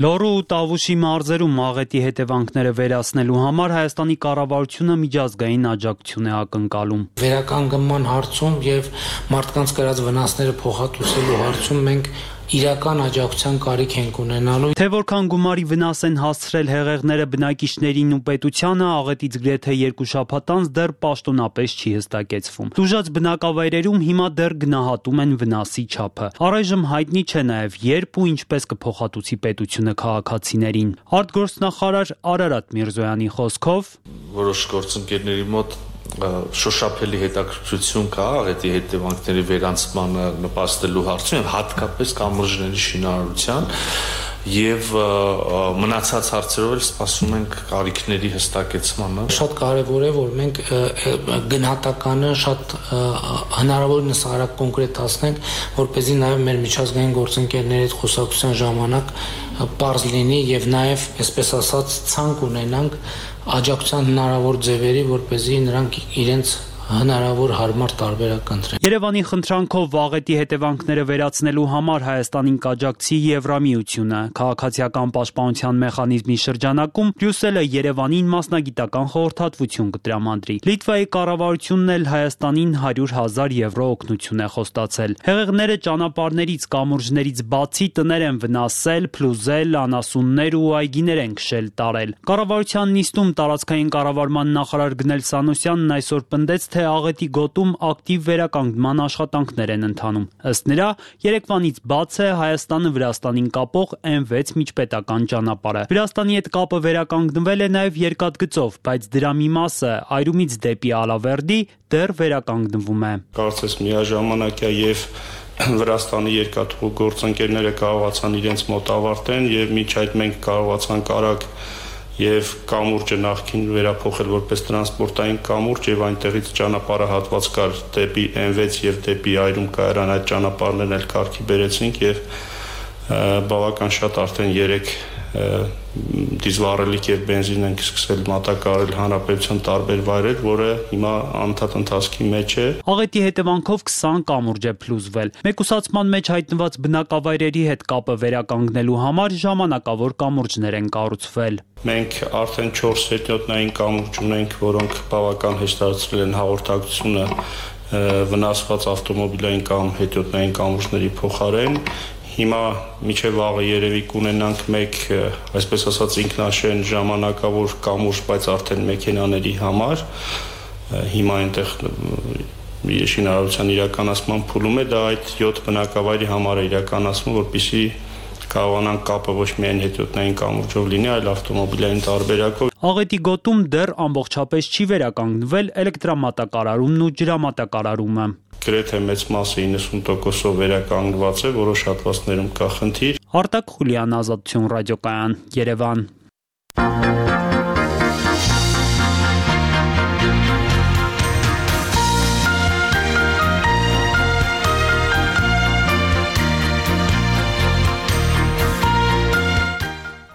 Լոռու ու Տավուշի մարզերում աղետի հետևանքները վերացնելու համար Հայաստանի կառավարությունը միջազգային աջակցություն է ակնկալում։ Վերականգնման հարցում եւ մարդկանց կրած վնասները փոխհատուցելու հարցում մենք իրական աջակցության կարիք ենք ունենալու։ Թե որքան գումարի վնաս են հասցրել հեղեղները բնակիչներին ու պետությանը, աղետից գրեթե երկու շաբաթ անց դեռ պաշտոնապես չի հստակեցվում։ Տուժած բնակավայրերում հիմա դեռ գնահատում են վնասի չափը։ Առայժմ հայտնի չէ նաև երբ ու ինչպես կփոխհատուցի պետությունը քաղաքացիներին։ Արտգործնախարար Արարատ Միրզոյանի խոսքով որոշ գործընկերների մոտ շոշափելի հետաքրքրություն կա աղետի հետևանքների վերանցմանը նպաստելու հարցում, հատկապես կամուրջների շինարարության եւ մնացած հարցերով էլ սպասում ենք կարիքների հստակեցմանը։ Շատ կարեւոր է, որ մենք գնահատականը շատ հնարավորինս արագ կոնկրետացնենք, որպեսզի նաեւ մեր միջազգային գործընկերների հետ խոսակցության ժամանակ պարզ լինի եւ նաեւ, այսպես ասած, ցանկ ունենանք աջակցության հնարավոր ձևերի, որպեսզի նրանք իրենց հնարավոր հարմար տարբերակ ընտրել։ Երևանի խնդրանքով վաղետի հետևանքները վերացնելու համար Հայաստանին կաջակցի Եվրամիությունը։ Քաղաքացիական պաշտպանության մեխանիզմի շրջանակում Բրյուսելը Երևանին մասնագիտական խորհրդատվություն կտրամադրի։ Լիտվայի կառավարությունն էլ Հայաստանին հարյուր հազար եվրո օգնություն է խոստացել։ Հեղեղները ճանապարհներից, կամուրջներից բացի տներ են վնասել, փլուզել, անասուններ ու այգիներ են քշել, տարել։ Կառավարության նիստում տարածքային կառավարման նախարար Գնել Սանոսյանն այսօր պնդեց, թե աղետի գոտում ակտիվ վերականգնման աշխատանքներ են ընթանում։ Ըստ նրա, երեկվանից բաց է Հայաստանը Վրաստանին կապող էն վեց միջպետական ճանապարհը։ Վրաստանի հետ կապը վերականգնվել է նաև երկաթգծով, բայց դրա մի մասը այրումից դեպի Ալավերդի դեռ վերականգնվում է։ Կարծես միաժամանակ է եւ Վրաստանի երկաթուղու գործընկերները կարողացան իրենց մոտ ավարտեն եւ միջ այդ մենք կարողացանք արագ եւ կամուրջը նախքին վերափոխել որպես տրանսպորտային կամուրջ եւ այնտեղից ճանապարհահատված կար դեպի էն վեց եւ դեպի այրում կայարան, այդ ճանապարհներն էլ կարգի բերեցինք եւ բավական շատ արդեն երեք դիզվառելիք եւ բենզին ենք սկսել մատակարարել հանրապետության տարբեր վայրեր, որը հիմա անդադ ընթացքի մեջ է։ Աղետի հետևանքով քսան կամուրջ է փլուզվել։ Մեկուսացման մեջ հայտնված բնակավայրերի հետ կապը վերականգնելու համար ժամանակավոր կամուրջներ են կառուցվել։ Մենք արդեն չորս հետիոտնային կամուրջ ունենք, որոնք բավական հեշտացրել են հաղորդակցությունը վնասված ավտոմոբիլային կամ հետիոտնային կամուրջների փոխարեն։ Հիմա միջև վաղը երևի կունենանք մեկ, այսպես ասած, ինքնաշեն ժամանակավոր կամուրջ, բայց արդեն մեքենաների համար։ Հիմա այնտեղ շինարարության իրականացման փուլում է, դա այդ յոթ բնակավայրի համար է իրականացվում, որպեսզի կարողանան կապը ոչ միայն հետիոտնային կամուրջով լինի, այլ ավտոմոբիլային տարբերակով։ Աղետի գոտում դեռ ամբողջապես չի վերականգնվել էլեկտրամատակարարումն ու ջրամատակարարումը։ Գրեթե մեծ մասը իննսուն տոկոսով վերականգնված է, որոշ հատվածներում կա խնդիր։ Արտակ Խուլյան, Ազատություն ռադիոկայան, Երևան։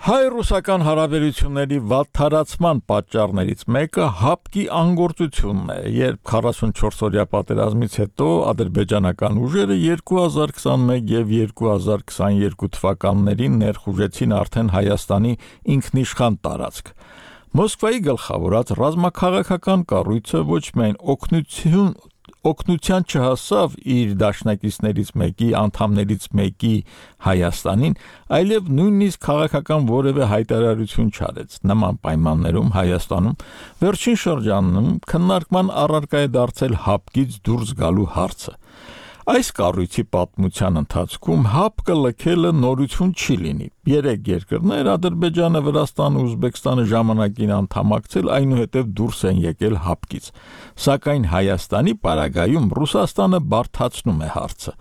Հայ-ռուսական հարաբերությունների վատթարացման պատճառներից մեկը հապկի անգործությունն է, երբ քառասունչորս-օրյա պատերազմից հետո ադրբեջանական ուժերը երկու հազար քսանմեկ եւ երկու հազար քսաներկու թվականներին ներխուժեցին արդեն Հայաստանի ինքնիշխան տարածք։ Մոսկվայի գլխավորած ռազմաքաղաքական կառույցը ոչ միայն օգնություն օգնության չհասավ իր դաշնակիցներից մեկի, անդամներից մեկի Հայաստանին, այլև նույնիսկ քաղաքական որևէ հայտարարություն չարեց։ Նման պայմաններում Հայաստանում վերջին շրջանում քննարկման առարկա է դարձել հապկից դուրս գալու հարցը։ Այս կառույցի պատմության ընթացքում հապկը լքելը նորություն չի լինի։ Երեք երկրներ Ադրբեջանը, Վրաստանը, Ուզբեկստանը ժամանակին անդամակցել, այնուհետև դուրս են եկել հապկից։ Սակայն Հայաստանի պարագայում Ռուսաստանը բարդացնում է հարցը։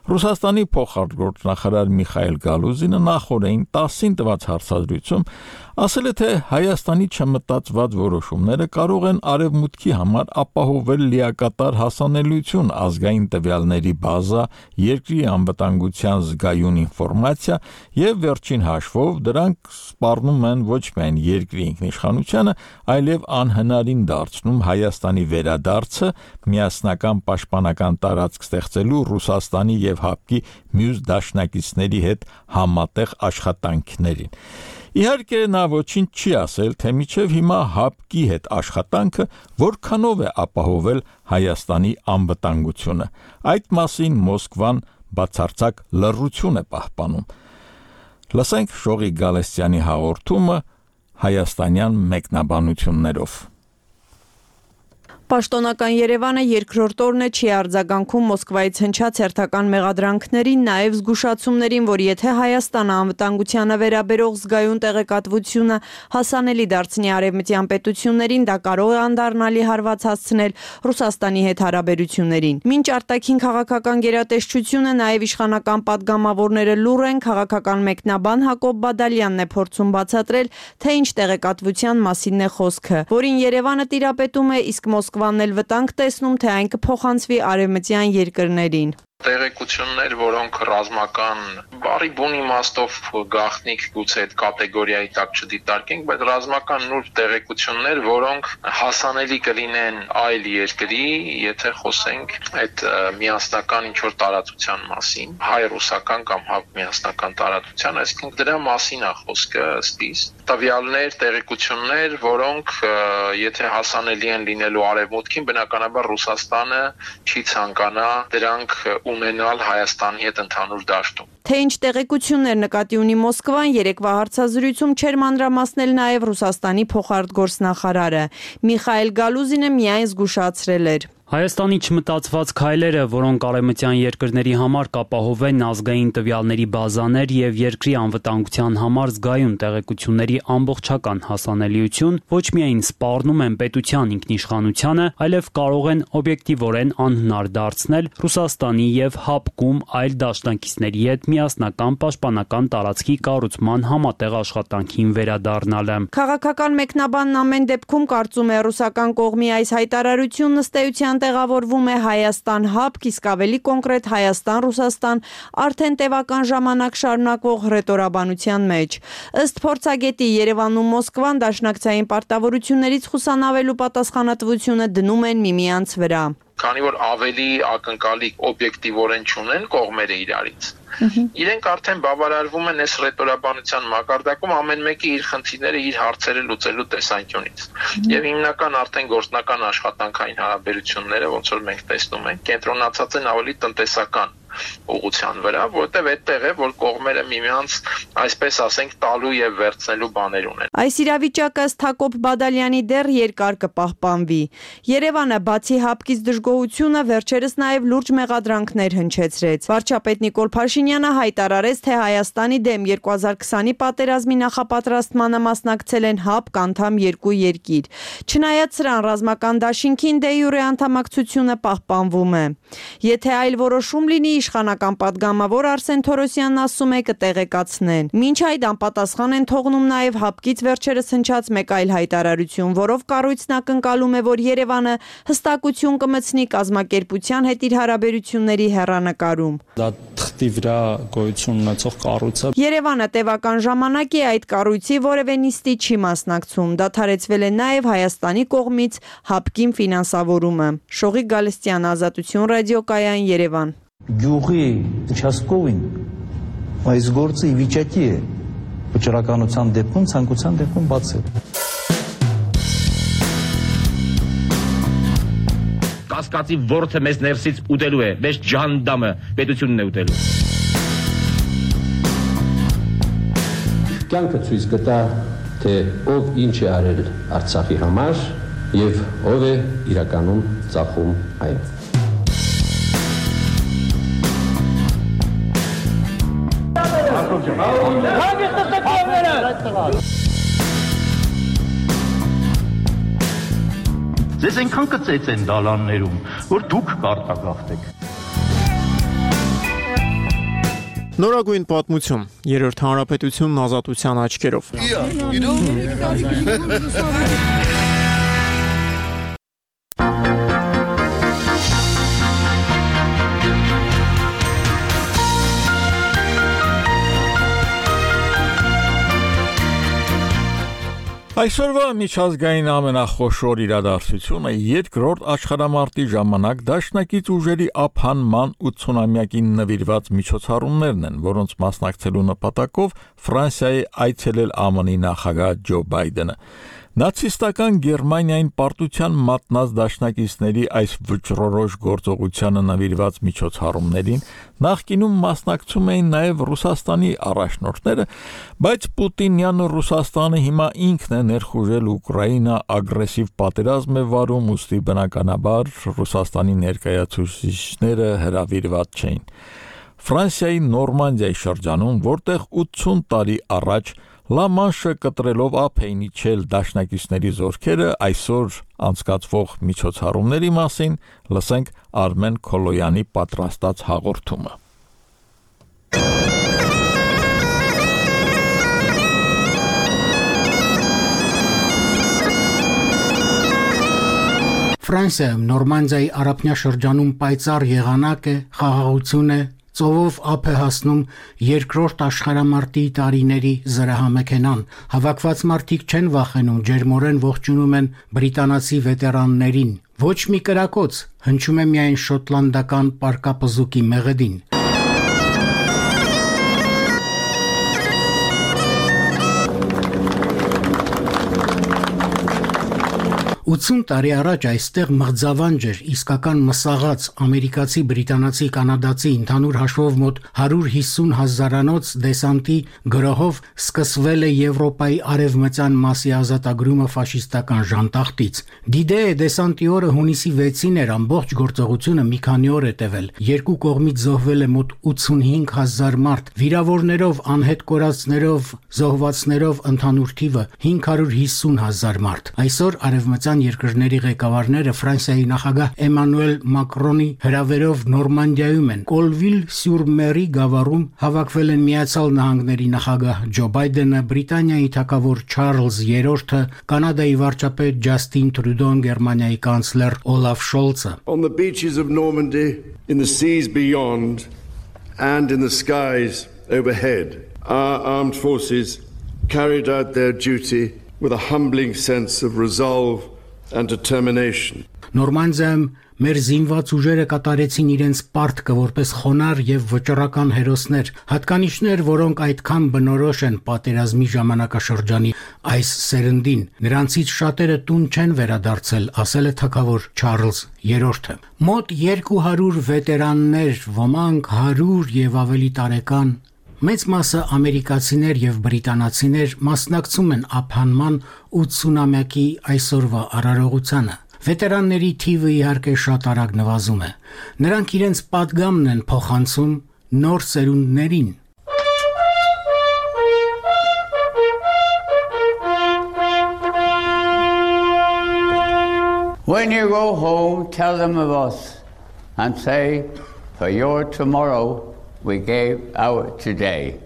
Ռուսաստանի փոխարտգործնախարար Միխայել Գալուզինը նախորդին տասին տված հարցազրույցում ասել է, թե Հայաստանի չմտածված որոշումները կարող են արևմուտքի համար ապահովել լիակատար հասանելիություն, ազգային տվյալների բազա, երկրի անվտանգության զգայուն ինֆորմացիա եւ վերջին հաշվով դրանք սպառնում են ոչ միայն երկրի ինքնիշխանությանը, այլև անհնարին դարձնում Հայաստանի վերադարձը միասնական պաշտպանական տարածք ստեղծելու Ռուսաստանի եւ հապկի մյուս դաշնակիցների հետ համատեղ աշխատանքներին։ Իհարկե նա ոչինչ չի ասել, թե մինչև հիմա հապկի հետ աշխատանքը որքանով է ապահովել Հայաստանի անվտանգությունը։ Այդ մասին Մոսկվան բացարձակ լռություն է պահպանում։ Լսենք Շողի Գալստյանի հաղորդումը հայաստանյան մեկնաբանություններով։ Պաշտոնական Երևանը երկրորդ օրն է չի արձագանքում Մոսկվայից հնչած հերթական մեղադրանքներին, նաև զգուշացումներին, որ եթե Հայաստանը անվտանգությանը վերաբերող զգայուն տեղեկատվությունը հասանելի դարձնի արևմտյան պետություններին, դա կարող է անդառնալի հարված հասցնել Ռուսաստանի հետ հարաբերություններին։ Մինչ արտաքին քաղաքական գերատեսչությունը, նաև իշխանական պատգամավորները լուռ են, քաղաքական մեկնաբան Հակոբ Բադալյանն է փորձում բացատրել, թե ինչ տեղեկատվության մասին է խոսքը, որին Երևանը տիրապետում է, իսկ Մոսկվան էլ վտանգ տեսնում, թե այն կփոխանցվի արևմտյան երկրներին։ Տեղեկություններ, որոնք ռազմական բարի բուն իմաստով գաղտնիք գուցե այդ կատեգորիայի տակ չդիտարկենք, բայց ռազմական նուրբ տեղեկություններ, որոնք հասանելի կլինեն այլ երկրի, եթե խոսենք այդ միասնական ինչ-որ տարածության մասին, հայ-ռուսական կամ հայ-միասնական տարածության, այսինքն դրա մասին է խոսքը ըստիս։ Տվյալներ, տեղեկություններ, որոնք եթե հասանելի են լինելու արևմուտքին, բնականաբար Ռուսաստանը չի ցանկանա դրանք ունենալ Հայաստանի հետ ընդհանուր դաշտում։ Թե ինչ տեղեկություններ նկատի ունի Մոսկվան, երեկվա հարցազրույցում չէր մանրամասնել նաև Ռուսաստանի փոխարտգործնախարարը։ Միխայել Գալուզինը միայն զգուշացրել էր. Հայաստանի չմտածված քայլերը, որոնք արևմտյան երկրների համար կապահովեն ազգային տվյալների բազաներ եւ երկրի անվտանգության համար զգայուն տեղեկությունների ամբողջական հասանելիություն, ոչ միայն սպառնում են պետության ինքնիշխանությանը, այլև կարող են օբյեկտիվորեն անհնար դարձնել Ռուսաստանի եւ ՀԱՊԿ-ում այլ դաշնակիցների հետ միասնական պաշտպանական տարածքի կառուցման համատեղ աշխատանքին վերադառնալը։ Քաղաքական մեկնաբանն ամեն դեպքում կարծում է ռուսական կողմի այս հայտարարությունն ըստ էության տեղավորվում է Հայաստան ՀԱՊԿ, իսկ ավելի կոնկրետ Հայաստան-Ռուսաստան արդեն տևական ժամանակ շարունակվող հռետորաբանության մեջ։ Ըստ փորձագետի Երևանում Մոսկվան դաշնակցային պարտավորություններից խուսանավելու պատասխանատվությունը դնում են միմյանց վրա։ Քանի որ ավելի ակնկալիք օբյեկտիվորեն չունեն կողմերը իրարից։ Իրենք արդեն բավարարվում են այս ռետորաբանության մակարդակում ամեն մեկի իր խնդիրները, իր հարցերը լուծելու տեսանկյունից։ Եվ հիմնական արդեն գործնական աշխատանքային հարաբերությունները, ոնց որ մենք տեսնում ենք, կենտրոնացած են ավելի տնտեսական ուղղության վրա, որտեղ այդտեղ է, որ կողմերը միմյանց, այսպես ասենք, տալու եւ վերցնելու բաներ ունեն։ Այս իրավիճակը ըստ Հակոբ Բադալյանի դեռ երկար կպահպանվի։ Երևանը բացի ՀԱՊԿ-ից դժգոհությունը վերջերս նաեւ լուրջ մեղադրանքներ հնչեցրեց։ Վարչապետ Նիկոլ Փաշինյանը հայտարարեց, թե Հայաստանի դեմ երկու հազար քսանի պատերազմի նախապատրաստմանը մասնակցել են ՀԱՊԿ անդամ երկու երկիր։ Չնայած սրան ռազմական դաշինքին դե յուրե անդամակցությունը պահպանվում է։ Եթե այլ որոշում լինի, իշխանական պատգամավոր Արսեն Թորոսյանն ասում է կտեղեկացնեն։ Մինչ այդ անպատասխան են թողնում նաև ՀԱՊԿ-ից վերջերս հնչած մեկ այլ հայտարարություն, որով կառույցն ակնկալում է, որ Երևանը հստակություն կմտցնի կազմակերպության հետ իր հարաբերությունների հեռանկարում։ Դա թղթի վրա գոյություն ունեցող կառույց է։ Երևանը տևական ժամանակ է այդ կառույցի որևէ նիստի չի մասնակցում։ Դադարեցվել է նաև Հայաստանի կողմից ՀԱՊԿ-ին ֆինանսավորումը։ Շողիկ Գալստյան, Ազատություն ռադիոկայան, Երևան։ Գյուղի участковին այս գործը ի վիճակի է վճռականության դեպքում, ցանկության դեպքում բացել։ Կասկածի ворթը մեզ ներսից ուտելու է, մեզ ջանդամը պետությունն է ուտելու։ Կյանքը ցույց կտա, թե ով ինչ է արել Արցախի համար եւ ով է իրականում ծախում այն։ Ձեզ այնքան կծեց են դալաններում, որ դուք կարտագաղթեք։ Նորագույն պատմություն, երրորդ հանրապետությունն ազատության աչքերով։ Այսօրվա միջազգային ամենախոշոր իրադարձությունը երկրորդ աշխարհամարտի ժամանակ դաշնակից ուժերի ափանման ութսունամյակին նվիրված միջոցառումներն են, որոնց մասնակցելու նպատակով Ֆրանսիայի այցելել ԱՄՆ-ի նախագահ Ջո Բայդենը։ Նացիստական Գերմանիային պարտության մատնած դաշնակիցների այս վճռորոշ գործողությանը նվիրված միջոցառումներին նախկինում մասնակցում էին նաև Ռուսաստանի առաջնորդները, բայց Պուտինյան Ռուսաստանը հիմա ինքն է ներխուժել Ուկրաինա ագրեսիվ պատերազմ է վարում, ուստի բնականաբար Ռուսաստանի ներկայացուցիչները հրավիրված չէին։ Ֆրանսիայի Նորմանդիայի շրջանում, որտեղ ութսուն տարի առաջ Լամանշը կտրելով ափ էին իջել դաշնակիցների զորքերը, այսօր անցկացվող միջոցառումների մասին լսենք Արմեն Քոլոյանի պատրաստած հաղորդումը։ Ֆրանսիայում Նորմանդիայի առափնյա շրջանում պայծառ եղանակ է, խաղաղություն է, ծովով ափ է հասնում երկրորդ աշխարհամարտի տարիների զրահամեքենան։ Հավաքված մարդիկ չեն վախենում, ջերմորեն ողջունում են բրիտանացի վետերաններին։ Ոչ մի կրակոց, հնչում է միայն շոտլանդական պարկապզուկի մեղեդին։ ութսուն տարի առաջ այստեղ մղձավանջ էր, իսկական մսաղաց, ամերիկացի, բրիտանացի, կանադացի, ընդհանուր հաշվով մոտ հարյուր հիսուն հազարանոց դեսանտի գրոհով սկսվել է Եվրոպայի արևմտյան մասի ազատագրումը ֆաշիստական ժանտախտից։ D-Day դեսանտի օրը հունիսի վեցին էր, ամբողջ գործողությունը մի քանի օր է տևել։ Երկու կողմից զոհվել է մոտ ութսունհինգ հազար մարդ, վիրավորներով, անհետ կորածներով, զոհվածներով ընդհանուր թիվը հինգ հարյուր հիսուն հազար մարդ։ Այսօր արևմտյան երկրների ղեկավարները Ֆրանսիայի նախագահ Էմանուել Մակրոնի հրավերով Նորմանդիայում են։ Կոլվիլ-սյուր-Մերի գավառում հավաքվել են Միացյալ Նահանգների նախագահ Ջո Բայդենը, Բրիտանիայի թագավոր Չարլզ երրորդը, Կանադայի վարչապետ Ջաստին Տրյուդոն, Գերմանիայի կանցլեր Օլաֆ Շոլցը։ On the beaches of Normandy, in the seas beyond, and in the skies overhead, our armed forces carried out their duty with a humbling sense of resolve and determination. Նորմանդիայում մեր զինված ուժերը կատարեցին իրենց պարտքը որպես խոնար եւ վճռական հերոսներ, հատկանիշներ, որոնք այդքան բնորոշ են պատերազմի ժամանակաշրջանի այս սերնդին։ Նրանցից շատերը տուն չեն վերադարձել, ասել է թագավոր Չարլզ երրորդը։ Մոտ երկու հարյուր վետերաններ, ոմանք հարյուր եւ ավելի տարեկան, մեծ մասը ամերիկացիներ եւ բրիտանացիներ մասնակցում են ափանման ութսունամյակի այսօրվա արարողությանը։ Վետերանների թիվը իհարկե շատ արագ նվազում է։ Նրանք իրենց պատգամն են փոխանցում նոր սերունդներին։ When you go home, tell them of us and say, for your tomorrow we gave our today.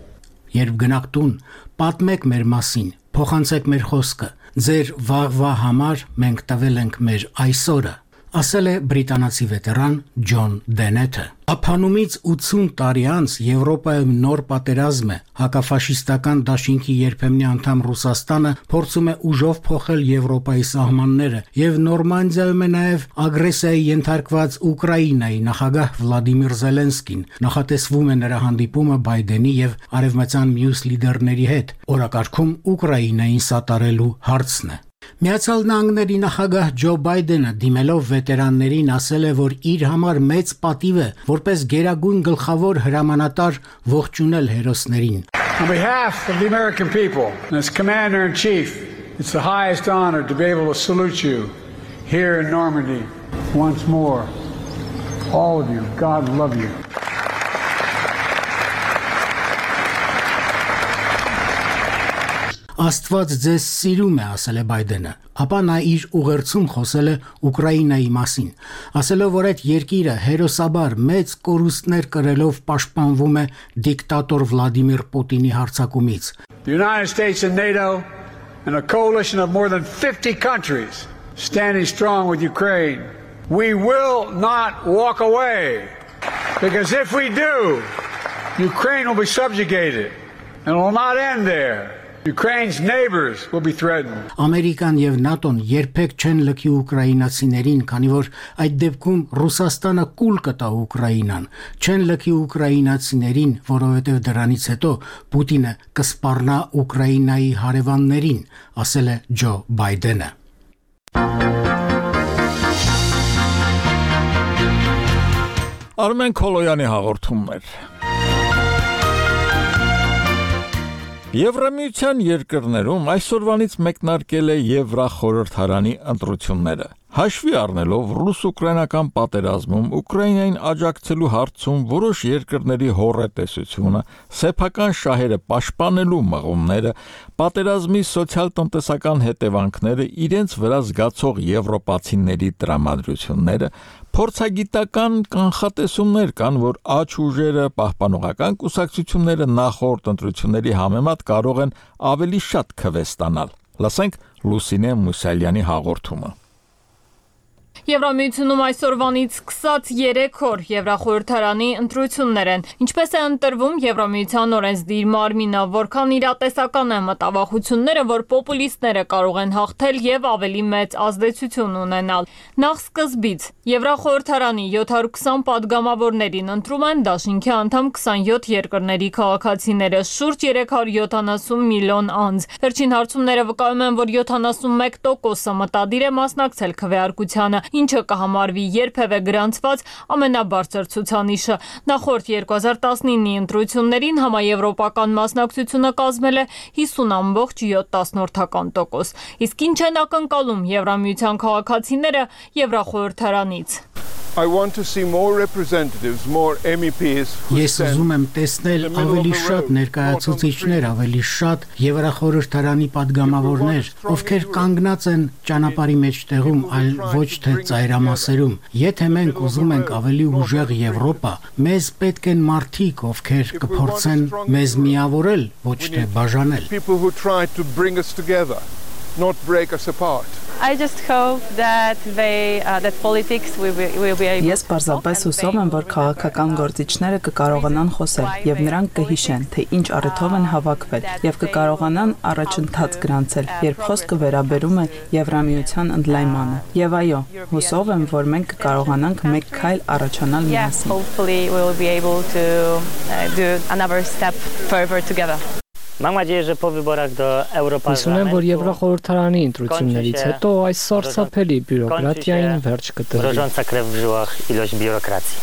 Երբ գնաք տուն, պատմեք մեր մասին, փոխանցեք մեր խոսքը, ձեր վաղվա համար մենք տվել ենք մեր այսօրը, ասել է բրիտանացի վետերան Ջոն Դենեթը։ Ափանումից ութսուն տարի անց Եվրոպայում նոր պատերազմ է, հակաֆաշիստական դաշինքի երբեմնի անդամ Ռուսաստանը փորձում է ուժով փոխել Եվրոպայի սահմանները եւ Նորմանդիայում է նաեւ ագրեսիայի ենթարկված Ուկրաինայի նախագահ Վլադիմիր Զելենսկին։ Նախատեսվում է նրա հանդիպումը Բայդենի եւ արևմտյան մյուս լիդերների հետ։ Օրակարգում Ուկրաինային սատարելու հարցն է։ Միացյալ Նահանգների նախագահ Ջո Բայդենը դիմելով վետերաններին ասել է, որ իր համար մեծ պատիվ է, որպես գերագույն գլխավոր հրամանատար ողջունել հերոսներին։ On behalf of the American people, as Commander-in-Chief, it's the highest honor to be able to salute you here in Normandy once more. All of you, God love you. Աստված ձեզ սիրում է, ասել է Բայդենը, ապա նա իր ուղերձում խոսել է Ուկրաինայի մասին, ասելով, որ այդ երկիրը հերոսաբար մեծ կորուստներ կրելով պաշտպանվում է դիկտատոր Վլադիմիր Պուտինի հարձակումից։ The United States and NATO and a coalition of more than fifty countries standing strong with Ukraine. We will not walk away, because if we do, Ukraine will be subjugated and it will not end there. Ukraine's neighbors will be threatened. Ամերիկան եւ ՆԱՏՕ-ն երբեք չեն լքի ուկրաինացիներին, քանի որ այդ դեպքում Ռուսաստանը կուլ կտա Ուկրաինան։ Չեն լքի ուկրաինացիներին, որովհետեւ դրանից հետո Պուտինը կսպառնա Ուկրաինայի հարևաններին, ասել է Ջո Բայդենը։ Արմեն Քոլոյանի հաղորդումներ։ Եվրամիության երկրներում այսօրվանից մեկնարկել է Եվրախորհրդարանի ընտրությունները։ Հաշվի առնելով ռուս-ուկրաինական պատերազմում Ուկրաինային աջակցելու հարցում որոշ երկրների հոռետեսությունը, սեփական շահերը պաշտպանելու մղումները, պատերազմի սոցիալ-տնտեսական հետևանքները, իրենց վրա զգացող եվրոպացիների տրամադրությունները, փորձագիտական կանխատեսումներ կան, որ աջ ուժերը, պահպանողական կուսակցությունները նախորդ ընտրությունների համեմատ կարող են ավելի շատ քվե ստանալ։ Լսենք Լուսինե Մուսալյանի հաղորդումը։ Եվրամիությունում այսօրվանից սկսած երեք օր Եվրախորհրդարանի ընտրություններ են։ Ինչպես է ընտրվում Եվրամիության օրենսդիր մարմինը, որքան իրատեսական է մտավախությունները, որ պոպուլիստները կարող են հաղթել եւ ավելի մեծ ազդեցություն ունենալ։ Նախ սկզբից Եվրախորհրդարանի յոթ հարյուր քսան падգամավորներին ընտրում են դաշինքի անդամ քսանյոթ երկրների քաղաքացիները, շուրջ երեք հարյուր յոթանասուն միլիոն անձ։ Վերջին հարցումները վկայում են, որ յոթանասունմեկ տոկոսը մտադիր է մասնակցել քվեարկությանը, ինչը կհամարվի երբևէ գրանցված ամենաբարձր ցուցանիշը։ Նախորդ երկու հազար տասնինի ընտրություններին համաեվրոպական մասնակցությունը կազմել է հիսուն ամբողջ յոթ տոկոս։ Իսկ ինչ են ակնկալում Եվրամիության քաղաքացիները Եվրախորհրդարանից։ I want to see more representatives, more M E Ps. Ես ուզում եմ տեսնել ավելի շատ ներկայացուցիչներ, ավելի շատ Եվրախորհրդարանի падգամավորներ, ովքեր կանգնած են ճանապարհի մեջտեղում, այլ ոչ թե ծայրամասերում։ Եթե մենք ուզում ենք ավելի ուժեղ Եվրոպա, մեզ պետք են մարդիկ, ովքեր կփորձեն մեզ միավորել, ոչ թե բաժանել։ People who try to bring us together, not break us apart. I just hope that they uh, that politics will be, will be able. Ես պարզապես հուսով եմ, որ քաղաքական գործիչները կկարողանան խոսել եւ նրանք կհիշեն, թե ինչ առիթով են հավաքվել եւ կկարողանան առաջընթաց գրանցել, երբ խոսքը վերաբերում է Եվրամիության ընդլայնմանը։ Եվ այո, հուսով եմ, որ մենք կկարողանանք մեկ քայլ առաջանալ միասին։ Hopefully we will be able to uh, do another step further together. Հուսում եմ, որ Եվրախորհրդարանի ընտրություններից հետո այս սարսափելի բյուրոկրատիային վերջ կտրվի։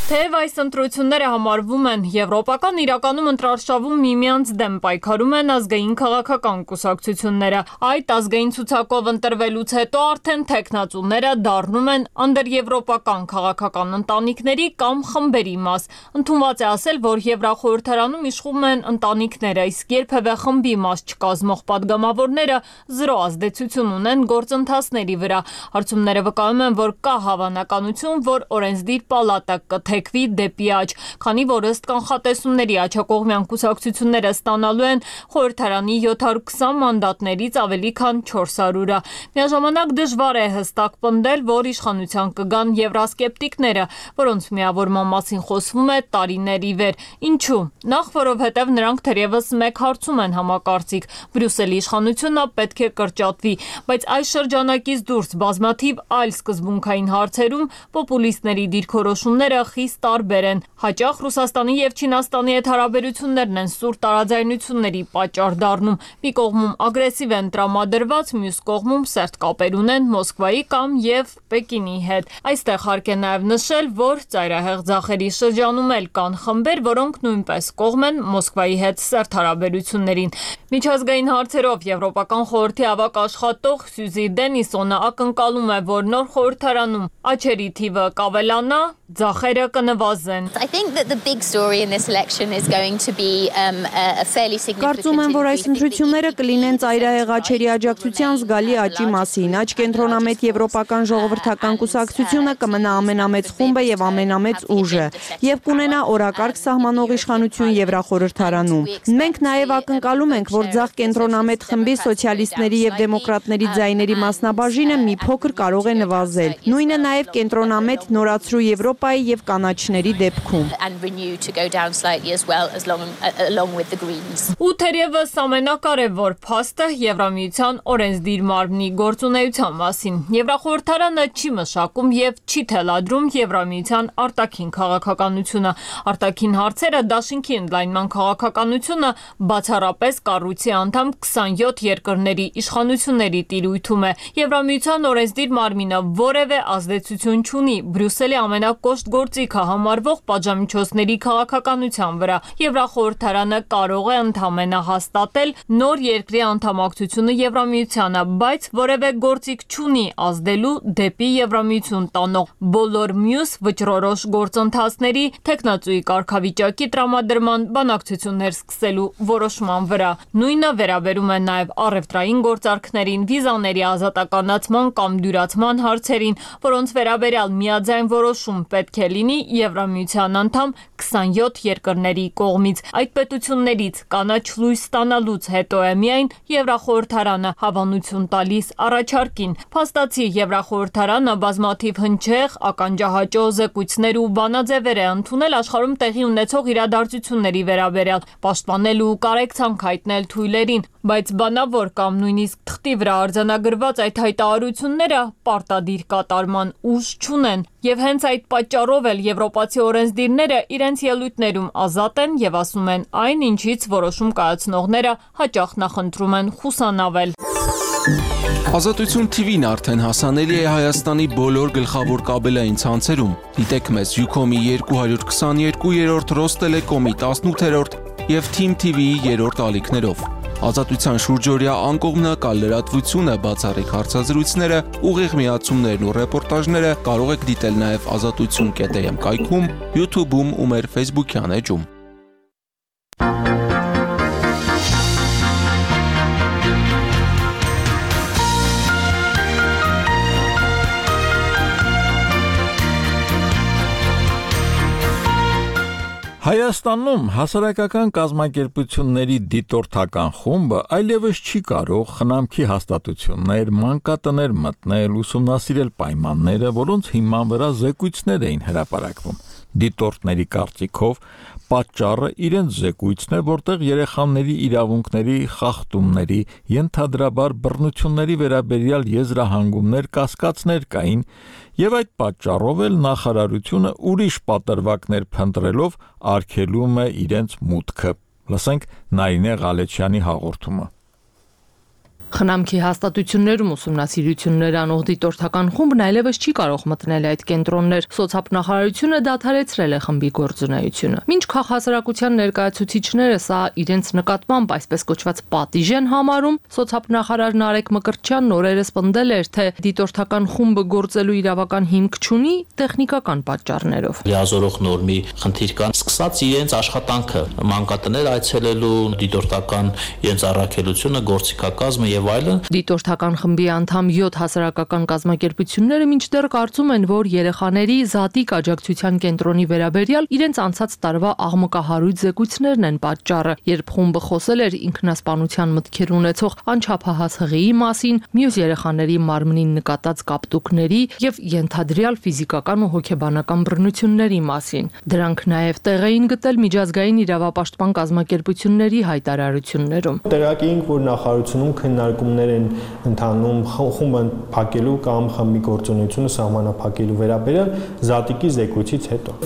Թեև այս ընտրությունները համարվում են եվրոպական, իրականում ընտրարշավում միմյանց դեմ պայքարում են ազգային քաղաքական կուսակցությունները։ Այդ ազգային ցուցակով ընտրվելուց հետո արդեն թեկնածուները դառնում են անդրեվրոպական քաղաքական ընտանիքների կամ խմբերի մաս։ Ընդունված է ասել, որ Եվրախորհրդարանում իշխում են ընտանիքները, իսկ երբևէ խմբի մաս չկազմող падգամավորները զրո ազդեցություն ունեն գործընթացների վրա։ Հարցումները վկայում են, որ կա հավանականություն, որ օրենսդիր պալատը կթեքվի դեպի աջ, քանի որ ըստ կանխատեսումների աջակողմյան կուսակցությունները ստանալու են խորհրդարանի յոթ հարյուր քսան մանդատներից ավելի քան չորս հարյուրը։ Միաժամանակ դժվար է հստակ պնդել, որ իշխանության կգան եվրասկեպտիկները, որոնց միավորման մասին խոսվում է տարիների վեր։ Ինչու՞։ Նախ որովհետև նրանք թերևս մեկ հարցում են համակարծիք. Բրյուսելի իշխանությունը պետք է կրճատվի, բայց այս շրջանակից դուրս բազմաթիվ այլ սկզբունքային հարցերում պոպուլիստների դիրքորոշումները խիստ տարբեր են։ Հաճախ Ռուսաստանի եւ Չինաստանի հետ հարաբերություններն են սուր տարաձայնությունների պատճառ դառնում։ Մի կողմում ագրեսիվ են տրամադրված, մյուս կողմում սերտ կապեր ունեն Մոսկվայի կամ եւ Պեկինի հետ։ Այստեղ հարկ է նաեւ նշել, որ ծայրահեղ ձախերի շրջանում էլ կան խմբեր, որոնք նույնպես կողմ են Մոսկվայի հետ սերտ հարաբերություններին։ Միջազգային հարցերով Եվրոպական խորհրդի ավագ աշխատող Սյուզի Դենիսոնը ակնկալում է, որ նոր խորհրդարանում աչերի թիվը կավելանա, ձախերը կնվազեն։ Կարծում եմ, որ այս ընտրությունները կլինեն ծայրահեղ աչերի աջակցության զգալի աճի մասին։ Աճ կենտրոնամետ Եվրոպական ժողովրդական կուսակցությունը կմնա ամենամեծ խումբը եւ ամենամեծ ուժը եւ կունենա օրակարգ սահմանող իշխանություն Եվրախորհրդարանում։ Մենք նաեւ ակնկալում ենք, որ ձախ կենտրոնամետ խմբի սոցիալիստների եւ դեմոկրատների ձայների մասնաբաժինը մի փոքր կարող է նվազել։ Նույնը նաեւ կենտրոնամետ նորացրու Եվրոպայի եւ կանաչների դեպքում։ Ու թերևս ամենակարևոր փաստը Եվրամիության օրենսդիր մարմնի գործունեության մասին։ Եվրախորհրդարանը չի մշակում եւ չի թելադրում Եվրամիության արտաքին քաղաքականությունը։ Արտաքին հարցերը դաշինքի ընդլայնման քաղաքականությունը բացառապես կառույցի անդամ քսանյոթ երկրների իշխանությունների տիրույթում է։ Եվրամիության օրենսդիր մարմինը որևէ ազդեցություն չունի Բրյուսելի ամենակոշտ գործիքը համարվող պատժամիջոցների քաղաքականության վրա։ Եվրախորհրդարանը կարող է ընդհանրապես հաստատել նոր երկրի անդամակցությունը Եվրամիությանը, բայց որևէ գործիք չունի ազդելու դեպի Եվրամիություն տանող բոլոր մյուս վճռորոշ գործընթացների, տեխնացուի կարգավիճակի տրամադրման, բանակցություններ սկսելու որոշման իրավունքներն վրա։ Նույնը վերաբերում է նաև առևտրային գործարքներին, վիզաների ազատականացման կամ դյուրացման հարցերին, որոնց վերաբերյալ միաձայն որոշում պետք է լինի Եվրամիության անդամ քսանյոթ երկրների կողմից։ Այդ պետություններից կանաչ լույս ստանալուց հետո է միայն Եվրախորհրդարանը հավանություն տալիս առաջարկին։ Փաստացի Եվրախորհրդարանը բազմաթիվ հնչեղ, ականջահաճո զեկույցներ ու բանաձևեր է ընդունել աշխարհում տեղի ունեցող իրադարձությունների վերաբերյալ, պաշտպանել ու կարեկցանք հայտնել թույլերին, բայց բանավոր կամ նույնիսկ թղթի վրա արձանագրված այդ հայտարարությունները պարտադիր կատարման ուժ չունեն, եւ հենց այդ պատճառով էլ եվրոպացի օրենսդիրները իրենց ելույթներում ազատ են եւ ասում են այն, ինչից որոշում կայացնողները հաճախ նախընտրում են խուսանավել։ Ազատություն թի վին արդեն հասանելի է Հայաստանի բոլոր գլխավոր կաբելային ցանցերում։ Դիտեք մեզ Ucom-ի երկու հարյուր քսաներկուերորդ, Ռոստելեկոմի տասնութերորդ եւ Թիմ թի վիի երրորդ ալիքներով։ Ազատության շուրջօրյա անկողմնակալ լրատվությունը, բացառիկ հարցազրույցները, ուղիղ միացումներն ու ռեպորտաժները կարող եք դիտել նաև ազատություն կետ էմ կայքում, YouTube-ում ու մեր Facebook-յան էջում։ Հայաստանում հասարակական կազմակերպությունների դիտորդական խումբը այլևս չի կարող խնամքի հաստատություններ, մանկատներ մտնել, ուսումնասիրել պայմանները, որոնց հիման վրա զեկույցներ էին հրապարակվում։ Դիտորդների կարծիքով պատճառը իրենց զեկույցն է, որտեղ երեխաների իրավունքների խախտումների, ենթադրաբար բռնությունների վերաբերյալ եզրահանգումներ, կասկածներ կային, եւ այդ պատճառով էլ նախարարությունը ուրիշ պատրվակներ փնտրելով արգելում է իրենց մուտքը։ Լսենք Նարինե Ղալեչյանի հաղորդումը։ Խնամքի հաստատություններում ուսումնասիրություններ անող դիտորդական խումբն այլևս չի կարող մտնել այդ կենտրոններ։ Սոցիալնախարարությունը դադարեցրել է խմբի գործունեությունը։ Մինչ քաղաքասարակության ներկայացուցիչները սա իրենց նկատմամբ այսպես կոչված պատիժ են համարում, սոցիալնախարար Նարեկ Մկրտչյանն օրերս պնդել էր, թե դիտորդական խումբը գործելու իրավական հիմք չունի տեխնիկական պատճառներով։ Լիազորող նորմի խնդիր կան, սկսած իրենց աշխատանքը, մանկատներ այցելելու, դիտորդական իրենց առաքելությունը, գործիքակազմը եւ այլն։ Դիտորդական խմբի անդամ յոթ հասարակական կազմակերպությունները մինչդեռ կարծում են, որ երեխաների զատիկ աջակցության կենտրոնի վերաբերյալ իրենց անցած տարվա աղմկահարույց զեկույցներն են պատճառը, երբ խումբը խոսել էր ինքնասպանության մտքեր ունեցող անչափահաս հղիի մասին, մյուս երեխաների մարմնին նկատած կապտուկների եւ ենթադրյալ ֆիզիկական ու հոգեբանական բռնությունների մասին։ Դրանք նաեւ տեղ էին գտել միջազգային իրավապաշտպան կազմակերպությունների հայտարարություններում։ Տեղակայինք, որ նախարարությունում քննարկումներ են ընթանում խումբը փակելու կամ խմբի գործունեությունը սահմանափակելու վերաբերյալ զատիկի զեկույցից հետո։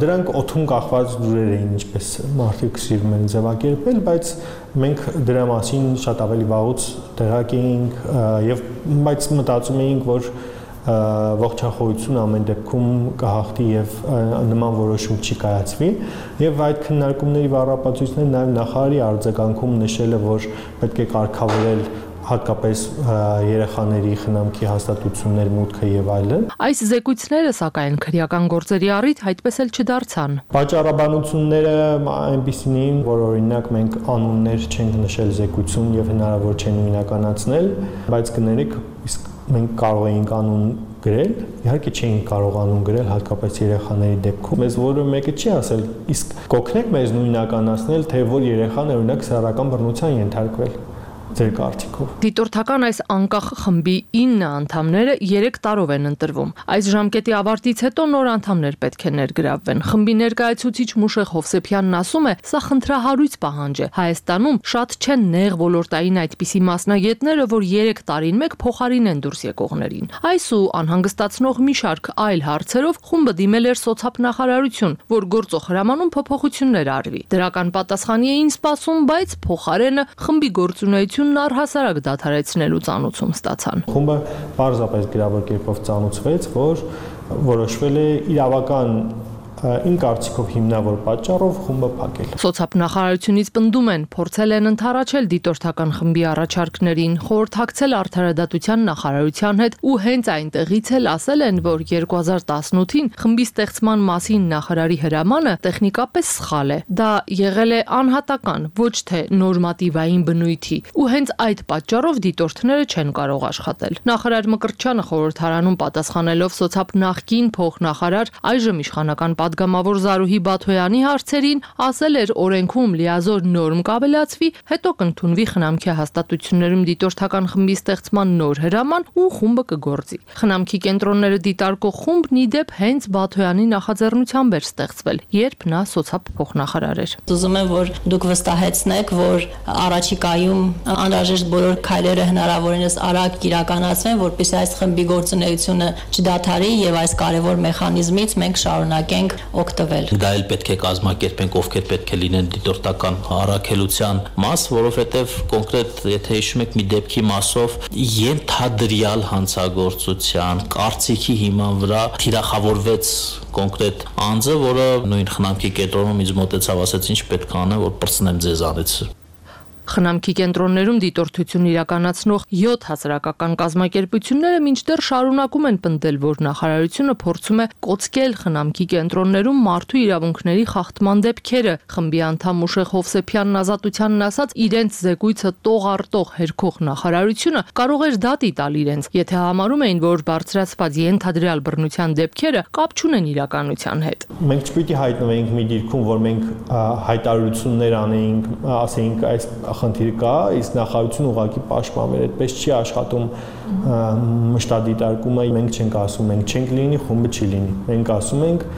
Դրանք օդում կախված լուրեր էին, ինչպես մարդիկ սիրում են ձևակերպել, բայց մենք դրա մասին շատ ավելի վաղուց տեղակ էինք եւ բայց մտածում էինք, որ ողջախոհություն ամեն դեպքում կհաղթի եւ նման որոշում չի կայացվի եւ այդ քննարկումների վառապացույցները նաեւ նախարարի արձագանքում նշել է, որ պետք է կարգավորել հատկապես երեխաների խնամքի հաստատություններ մուտքը եւ այլն։ Այս զեկույցները սակայն քրեական գործերի առիթ այդպես էլ չդարձան։ Պատճառաբանությունները այնպիսին էին, որ օրինակ մենք անուններ չենք նշել զեկույցում եւ հնարավոր չէ նույնականացնել, բայց կներեք իսկ մենք կարող էինք անուն գրել, իհարկե չէինք կարող անուն գրել հատկապես երեխաների դեպքում։ Մեզ որևէ մեկը չի ասել, իսկ կօգնեք մեզ նույնականացնել, թե որ երեխան օրինակ սեռական բռնության ենթարկվել։ Ձեր կարծիքով։ Դիտորդական այս անկախ խմբի ինը անդամները երեք տարով են ընտրվում։ Այս ժամկետի ավարտից հետո նոր անդամներ պետք է ներգրավվեն։ Խմբի ներկայացուցիչ Մուշեղ Հովսեփյանն ասում է, սա խնդրահարույց պահանջ է։ Հայաստանում շատ չեն նեղ ոլորտային այդպիսի մասնագետները, որ երեք տարին մեկ փոխարինեն դուրս եկողներին։ Այս ու անհանգստացնող մի շարք այլ հարցերով խումբը դիմել էր սոցիալնախարարություն, որ գործող հրամանում փոփոխություններ արվի։ Դրական պատասխանի էին սպասում, բայց փոխարենը խմբի գործունեությունն առհասարակ դադարեցնելու ծանուցում ստացան։ Խումբը պարզապես գրավոր կերպով ծանուցվեց, որ որոշվել է իրավական Իմ կարծիքով հիմնավոր պատճառով խումբը փակել։ Սոցիալնախարարությունից պնդում են, փորձել են ընդառաջել դիտորդական խմբի առաջարկներին, խորհրդակցել արդարադատության նախարարության հետ ու հենց այնտեղից էլ ասել են, որ երկու հազար տասնութին խմբի ստեղծման մասին նախարարի հրամանը տեխնիկապես սխալ է։ Դա եղել է անհատական, ոչ թե նորմատիվային բնույթի, ու հենց այդ պատճառով դիտորդները չեն կարող աշխատել։ Նախարար Մկրտչյանը խորհրդարանում պատասխանելով սոցիալ նախկին փոխնախարար այժմ իշխանական պատգամավոր Զարուհի Բաթոյանի հարցերին ասել էր օրենքում լիազոր նորմ կավելացվի, հետո կընդունվի խնամքի հաստատություններում դիտորդական խմբի ստեղծման նոր հրաման ու խումբը կգործի։ Խնամքի կենտրոնները դիտարկող խումբն ի դեպ հենց Բաթոյանի նախաձեռնությամբ էր ստեղծվել, երբ նա սոցիալ փոխնախարար էր։ Ուզում եմ, որ դուք վստահեցնեք, որ առաջիկայում անհրաժեշտ բոլոր քայլերը հնարավորինս արագ իրականացվեն, որպեսզի այս խմբի գործունեությունը չդադարի եւ այս կարևոր մեխանիզմից մենք շարունակենք օգտվել։ Դա էլ պետք է կազմակերպենք, ովքեր պետք է լինեն դիտորդական առաքելության մաս, որովհետեւ կոնկրետ, եթե հիշում եք, մի դեպքի մասով ենթադրյալ հանցագործության կարծիքի հիման վրա թիրախավորվեց կոնկրետ անձը, որը նույն խնամքի կենտրոնում ինձ մոտեցավ, ասաց ինչ պետք է անեմ, որ պրծնեմ ձեզանից։ Խնամքի կենտրոններում դիտորդություն իրականացնող յոթ հասարակական կազմակերպությունները մինչդեռ շարունակում են պնդել, որ նախարարությունը փորձում է կոծկել խնամքի կենտրոններում մարդու իրավունքների խախտման դեպքերը։ Խմբի անդամ Ուշեղ Հովսեփյանն ազատությանն ասաց, իրենց զեկույցը տող առ տող հերքող նախարարությունը կարող էր դատի տալ իրենց, եթե համարում էին, որ բարձրացված ենթադրյալ բռնության դեպքերը կապ չունեն իրականության հետ։ Մենք չպիտի հայտնվենք մի դիրքում, որ մենք հայտարարություններ անեինք, ասեինք այս խնդիր կա, իսկ նախարարությունը ուղղակի պաշտպանվել, այդպես չի աշխատում մշտադիտարկումը, մենք չենք ասում, մենք չենք լինի, խումբը չի լինի։ Մենք ասում ենք,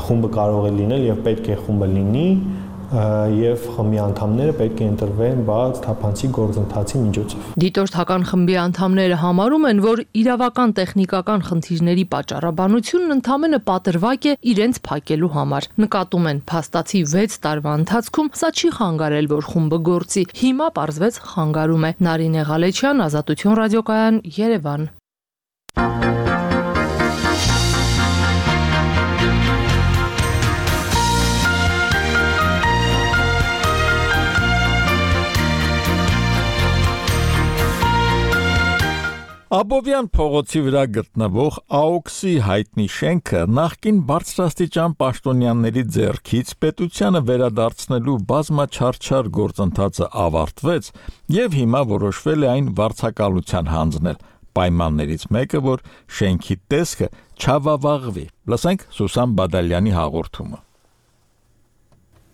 խումբը կարող է լինել եւ պետք է խումբը լինի, եւ խմբի անդամները պետք է ընտրվեն բաց թափանցիկ գործընթացի միջոցով։ Դիտորդական խմբի անդամները համարում են, որ իրավական տեխնիկական խնդիրների պատճառաբանությունն ընդհանրապես պատրվակ է իրենց փակելու համար։ Նկատում են, փաստացի վեց տարվա ընթացքում սա չի խանգարել, որ խումբը գործի։ Հիմա պարզվեց խանգարում է։ Նարինե Ղալեչյան, Ազատություն ռադիոկայան, Երևան։ Աբովյան փողոցի վրա գտնվող ԱՕՔՍ-ի հայտնի շենքը նախկին բարձրաստիճան պաշտոնյաների ձեռքից պետությանը վերադարձնելու բազմաչարչար գործընթացը ավարտվեց եւ հիմա որոշվել է այն վարձակալության հանձնել։ Պայմաններից մեկը, որ շենքի տեսքը չավավաղվի։ Լսենք Սուսան Բադալյանի հաղորդումը։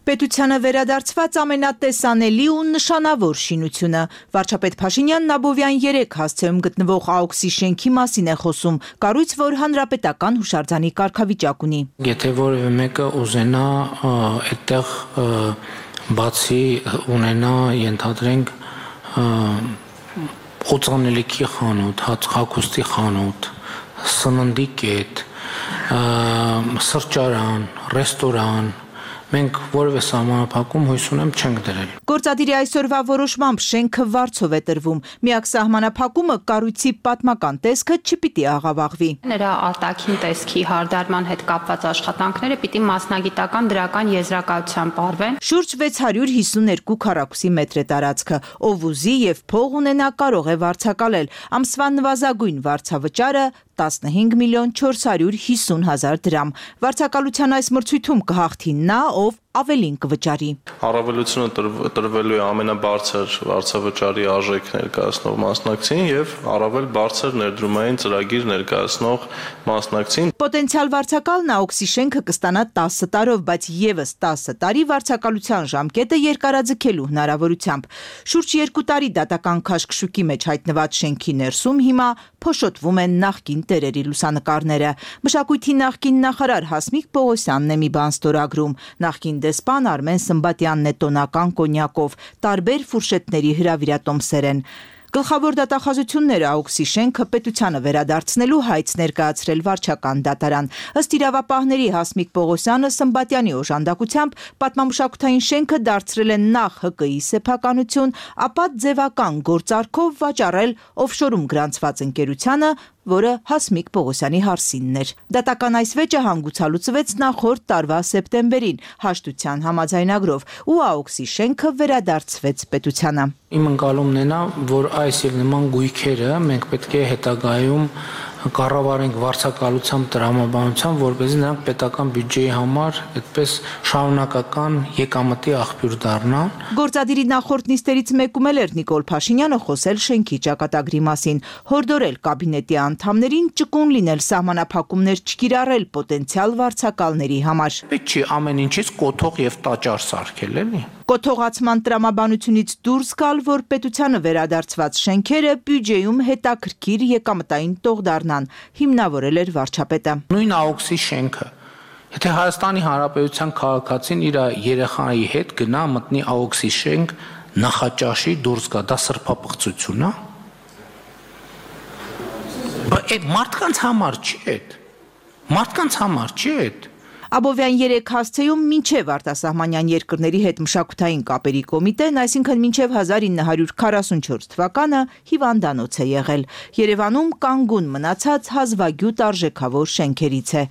Պետությանը վերադարձված ամենատեսանելի ու նշանավոր շինությունը։ Վարչապետ Փաշինյանն Աբովյան երեք հասցեում գտնվող ԱՕՔՍ-ի շենքի մասին է խոսում, կառույց, որ հանրապետական հուշարձանի կարգավիճակ ունի։ Եթե որևէ մեկը ուզենա այդտեղ բացի ունենա, ենթադրենք, օծանելիքի խանութ, հագուստի խանութ, սննդի կետ, սրճարան, ռեստորան, մենք որևէ սահմանափակում հույս ունեմ չենք դրել։ Գործադիրի այսօրվա որոշմամբ շենքը վարձով է տրվում։ Միակ սահմանափակումը կառույցի պատմական տեսքը չպիտի աղավաղվի։ Նրա արտաքին տեսքի հարդարման հետ կապված աշխատանքները պիտի մասնագիտական դրական եզրակացությամբ արվեն։ Շուրջ վեց հարյուր հիսուներկու քառակուսի մետր է տարածքը, ով ուզի եւ փող ունենա կարող է վարձակալել։ Ամսվա նվազագույն վարձավճարը տասնհինգ միլիոն չորս հարյուր հիսուն հազար դրամ։ Վարձակալության այս մրցույթում կհաղթի նա, ով ավելին կվճարի։ Առավելությունը տրվելու է ամենաբարձր վարձավճարի արժեք ներկայացնող մասնակցին եւ առավել բարձր ներդրումային ծրագիր ներկայացնող մասնակցին։ Պոտենցիալ վարձակալն ԱՕՔՍ-ի շենքը կստանա տասը տարով, բայց եւս տասը տարի վարձակալության ժամկետը երկարաձգելու հնարավորությամբ։ Շուրջ երկու տարի դատական քաշքշուկի մեջ հայտնված շենքի ներսում հիմա փոշոտվում են նախկին տերերի լուսանկարները։ Մշակույթի նախկին նախարար Հասմիկ Պողոսյանն է մի բան ստորագրում։ Նախկին դեսպան Արմեն Սմբատյանն է տոնական կոնյակով, տարբեր ֆուրշետների հրավիրատոմսեր են։ Գլխավոր դատախազությունները ԱՕՔՍ-ի շենքը պետությանը վերադարձնելու հայց ներկայացրել վարչական դատարան։ Ըստ իրավապահների Հասմիկ Պողոսյանը Սմբատյանի օժանդակությամբ պատմամշակութային շենքը դարձրել են նախ Հ Կ I սեփականություն, ապա ձևական գործարքով վաճառել օֆշորում գրանցված ընկերությանը, որը Հասմիկ Պողոսյանի հարսինն էր։ Դատական այս վեճը հանգուցալուծվեց նախորդ տարվա սեպտեմբերին հաշտության համաձայնագրով ու ԱՕՔՍ-ի շենքը վերադարձվեց պետությանը։ Իմ ընկալումն է նա, որ այս եւ նման գույքերը մենք պետք է հետագայում կառավարենք վարձակալությամբ տրամաբանությամբ, որպեսզի նրանք պետական բյուջեի համար այդպես շարունակական եկամտի աղբյուր դառնան։ Գործադիրի նախորդ նիստերից մեկում էլ էր Նիկոլ Փաշինյանը խոսել շենքի ճակատագրի մասին, հորդորել կաբինետի անդամներին ճկուն լինել, սահմանափակումներ չկիրառել պոտենցիալ վարձակալների համար։ Պետք չի ամեն ինչից կոթող եւ տաճար սարքել, էլի։ Կոթողացման տրամաբանությունից դուրս գալ, որ պետությանը վերադարձված շենքերը բյուջեում հետաքրքիր եկամտային տող դառնան, հիմնավորել էր վարչապետը։ Նույն ԱՕՔՍ-ի շենքը, եթե Հայաստանի Հանրապետության քաղաքացին իր երեխայի հետ գնա մտնի ԱՕՔՍ-ի շենք, նախաճաշի դուրս գա, դա սրբապղծություն է։ Բայց այդ մարդկանց համար չի այդ։ Մարդկանց համար չի այդ։ Աբովյան երեք հասցեում մինչև արտասահմանյան երկրների հետ մշակութային կապերի կոմիտեն, այսինքն մինչև հազար ինը հարյուր քառասունչորս թվականը հիվանդանոց է եղել։ Երևանում կանգուն մնացած հազվագյուտ արժեքավոր շենքերից է։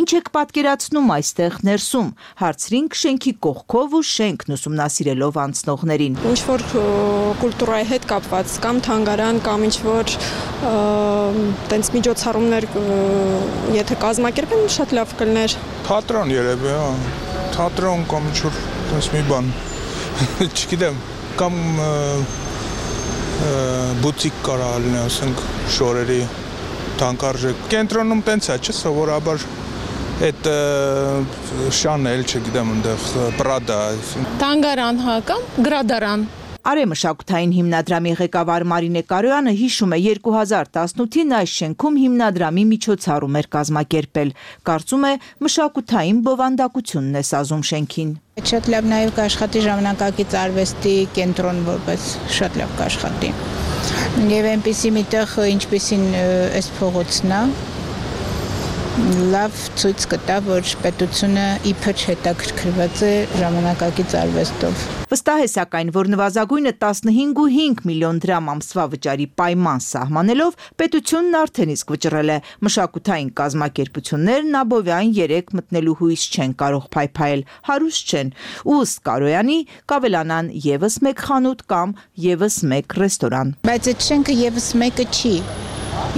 Ինչ եք պատկերացնում այստեղ ներսում, հարցրինք շենքի կողքով ու շենքն ուսումնասիրելով անցնողներին։ Ինչ որ կուլտուրայի հետ կապված, կամ թանգարան, կամ ինչ որ տենց միջոցառումներ եթե կազմակերպեն, շատ լավ կլներ։ Թատրոն երևի, հա, թատրոն կամ ինչ-որ տես մի բան, չգիտեմ, կամ բուտիկ կարա լինի, ասենք, շորերի թանկարժեք։ Կենտրոնում տենց է, չէ, սովորաբար այդ շանել, չգիտեմ, ընդեղ Պրադա։ Թանգարան, հա, կամ գրադարան։ Արեմշակութային հիմնադրամի ղեկավար Մարինե Կարոյանը հիշում է երկու հազար տասնութին այս շենքում հիմնադրամի միջոցառում էր կազմակերպել։ Կարծում է մշակութային բովանդակությունն է սազում շենքին։ Շատ լավ նաև կաշխատի ժամանակակից արվեստի կենտրոն որպես շատ լավ կաշխատի։ Եվ այնպիսի միտեղ ինչպիսին այս փողոցն է, լավ ցույց կտա, որ պետությունը իբր հետաքրքրված է ժամանակակից արվեստով։ Վստահ է սակայն, որ նվազագույնը տասնհինգ կόμμα հինգ միլիոն դրամ ամսվա վճարի պայման սահմանելով պետությունն արդեն իսկ վճռել է։ Մշակութային կազմակերպություններն Աբովյան երեք մտնելու հույս չեն կարող փայփայել, հարուստ չեն, ու ըստ Կարոյանի կավելանան եւս մեկ խանութ կամ եւս մեկ ռեստորան։ Բայց այդ շենքը եւս մեկը չի։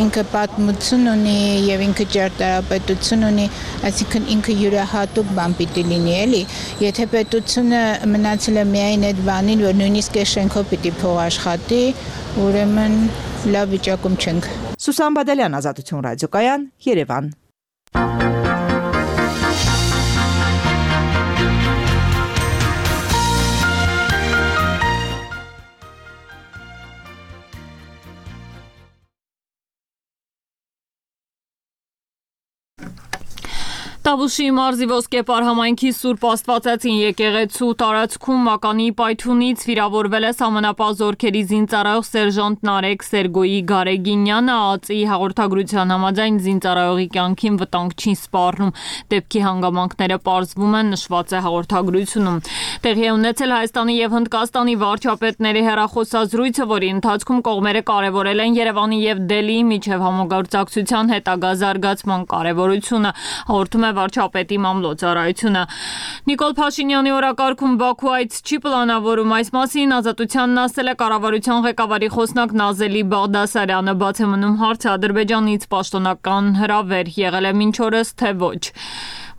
Ինքը պատմություն ունի եւ ինքը ճարտարապետություն ունի, այսինքն ինքը յուրահատուկ բան պիտի լինի, էլի։ Եթե պետությունը մնացել է միայն այդ բանին, որ նույնիսկ այս շենքով պիտի փող աշխատի, ուրեմն լավ վիճակում չենք։ Սուսան Բադալյան, Ազատություն ռադիոկայան, Երևան։ Տավուշի մարզի Ոսկեպար համայնքի Սուրբ Աստվածածին եկեղեցու տարածքում մականի պայթյունից վիրավորվել է սահմանապահ զորքերի զինծառայող սերժանտ Նարեկ Սերգոյի Գարեգինյանը, ԱԱԾ-ի հաղորդագրության համաձայն զինծառայողի կյանքին վտանգ չի սպառնում։ Դեպքի հանգամանքները պարզվում են, նշված է հաղորդագրությունում։ Տեղի է ունեցել Հայաստանի եւ Հնդկաստանի վարչապետների հեռախոսազրույցը, որի ընթացքում կողմերը կարևորել են Երևանի եւ Դելիի միջև համագործակցության հետագա զարգացման կարևորությունը, հաղորդում է վարչապետի մամլոյցարայությունը։ Նիկոլ Փաշինյանի օրակարգում Բաքու այց չի պլանավորում, այս մասին Ազատությանն ասել է կառավարության ղեկավարի խոսնակ Նազելի Բաղդասարյանը, բաց է մնում հարցը Ադրբեջանից պաշտոնական հրավեր եղել է մինչ օրս, թե ոչ։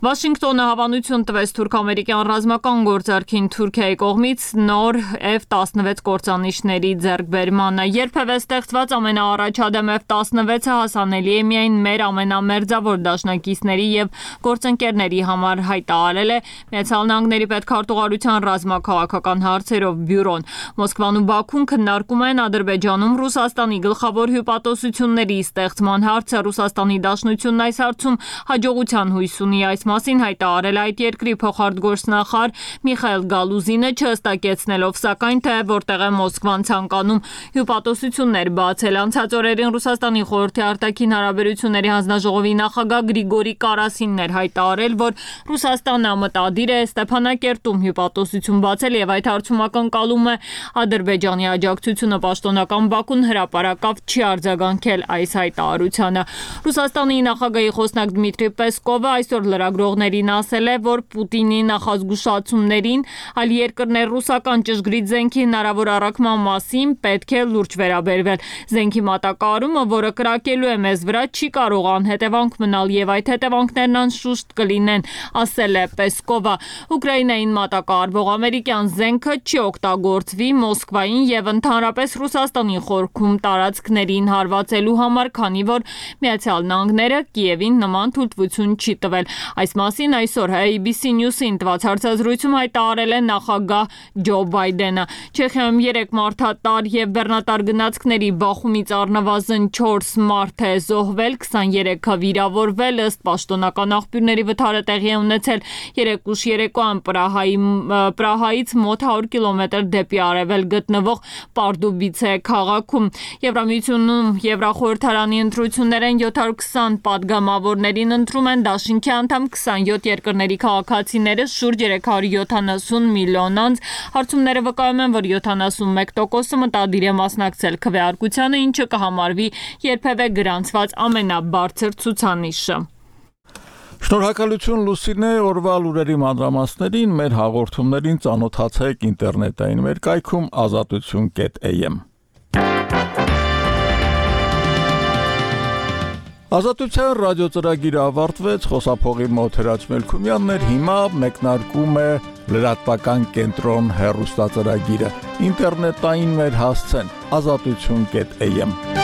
Վաշինգտոնը հավանություն տվեց թուրք-ամերիկյան ռազմական գործարքին Թուրքիայի կողմից նոր F տասնվեց կործանիչների ձեռքբերմանը։ Երբևէ ստեղծված ամենաառաջադեմ F տասնվեցը հասանելի է միայն մեր ամենամերձավոր դաշնակիցների եւ գործընկերների համար, հայտարարել է Միացյալ Նահանգների պետքարտուղարության ռազմաքաղաքական հարցերով բյուրոն։ Մոսկվան ու Բաքուն քննարկում են Ադրբեջանում Ռուսաստանի գլխավոր հյուպատոսությունների ստեղծման հարցը։ Ռուսաստանի Դաշնությունն այս հարցում հաջողության հույս ունի, այս մասին հայտարարել այդ երկրի փոխարտգործնախարար Միխայել Գալուզինը, չհստակեցնելով սակայն թե որտեղ է Մոսկվան ցանկանում հյուպատոսություններ բացել։ Անցած օրերին Ռուսաստանի խորհրդի արտաքին հարաբերությունների հանձնաժողովի նախագահ Գրիգորի Կարասինն էր հայտարարել, որ Ռուսաստանը մտադիր է Ստեփանակերտում հյուպատոսություն բացել եւ այդ հարցում ակնկալում է Ադրբեջանի աջակցությունը պաշտոնական Բաքուն հրապարակավ չի արձագանքել այս հայտարարությանը։ Ռուսաստանի նախագահի խոսնակ Դմիտրի Պեսկովը այսօր լրագրողներին ասել է, որ Պուտինի նախազգուշացումներին այլ երկրներ ռուսական ճշգրիտ զենքի հնարավոր առաքման մասին պետք է լուրջ վերաբերվել։ Զենքի մատակարարումը, որը կրակելու է մեզ վրա, չի կարող անհետևանք մնալ եւ այդ հետևանքներն անշուշտ կլինեն, ասել է Պեսկովը։ Ուկրաինային մատակարարվող ամերիկյան զենքը չի օգտագործվի Մոսկվային եւ ընդհանրապես Ռուսաստանի խորքում տարածքներին հարվածելու համար, քանի որ Միացյալ Նահանգները Կիևին նման թույլտվություն չի տվել։ Այս մասին այսօր A B C News-ին տված հարցազրույցում հայտարարել է նախագահ Ջո Բայդենը։ Չեխիայում երեք մարդատար եւ բեռնատար գնացքների բախումից առնվազն չորս մարդ է զոհվել, քսաներեքը վիրավորվել, ըստ պաշտոնական աղբյուրների վթարը տեղի է ունեցել երեկուշ երեկոյան Պրահայի Պրահայից մոտ հարյուր կիլոմետր դեպի արևել գտնվող Պարդուբիցե քաղաքում։ Եվրամիությունում Եվրախորհրդարանի ընտրություններ են յոթ հարյուր քսան падգամավորներին ընտրում են դաշինքի անդամ քսանյոթ երկրների քաղաքացիները շուրջ երեք հարյուր յոթանասուն միլիոն անց։ Հարցումները վկայում են, որ յոթանասունմեկ տոկոսը մտադիր է մասնակցել քվեարկությանը, ինչը կհամարվի երբևէ գրանցված ամենաբարձր ցուցանիշը։ Շնորհակալություն Լուսինե, օրվա լուրերի մանրամասներին մեր հաղորդումներին ծանոթացեք ինտերնետային մեր կայքում ազատություն կետ A M։ Ազատության ռադիոծրագիրը ավարտվեց, խոսափողի մոտ Հրաչ Մելքումյանն էր, հիմա մեկնարկում է լրատվական կենտրոն հեռուստածրագիրը, ինտերնետային մեր հասցեն ազատություն կետ A M։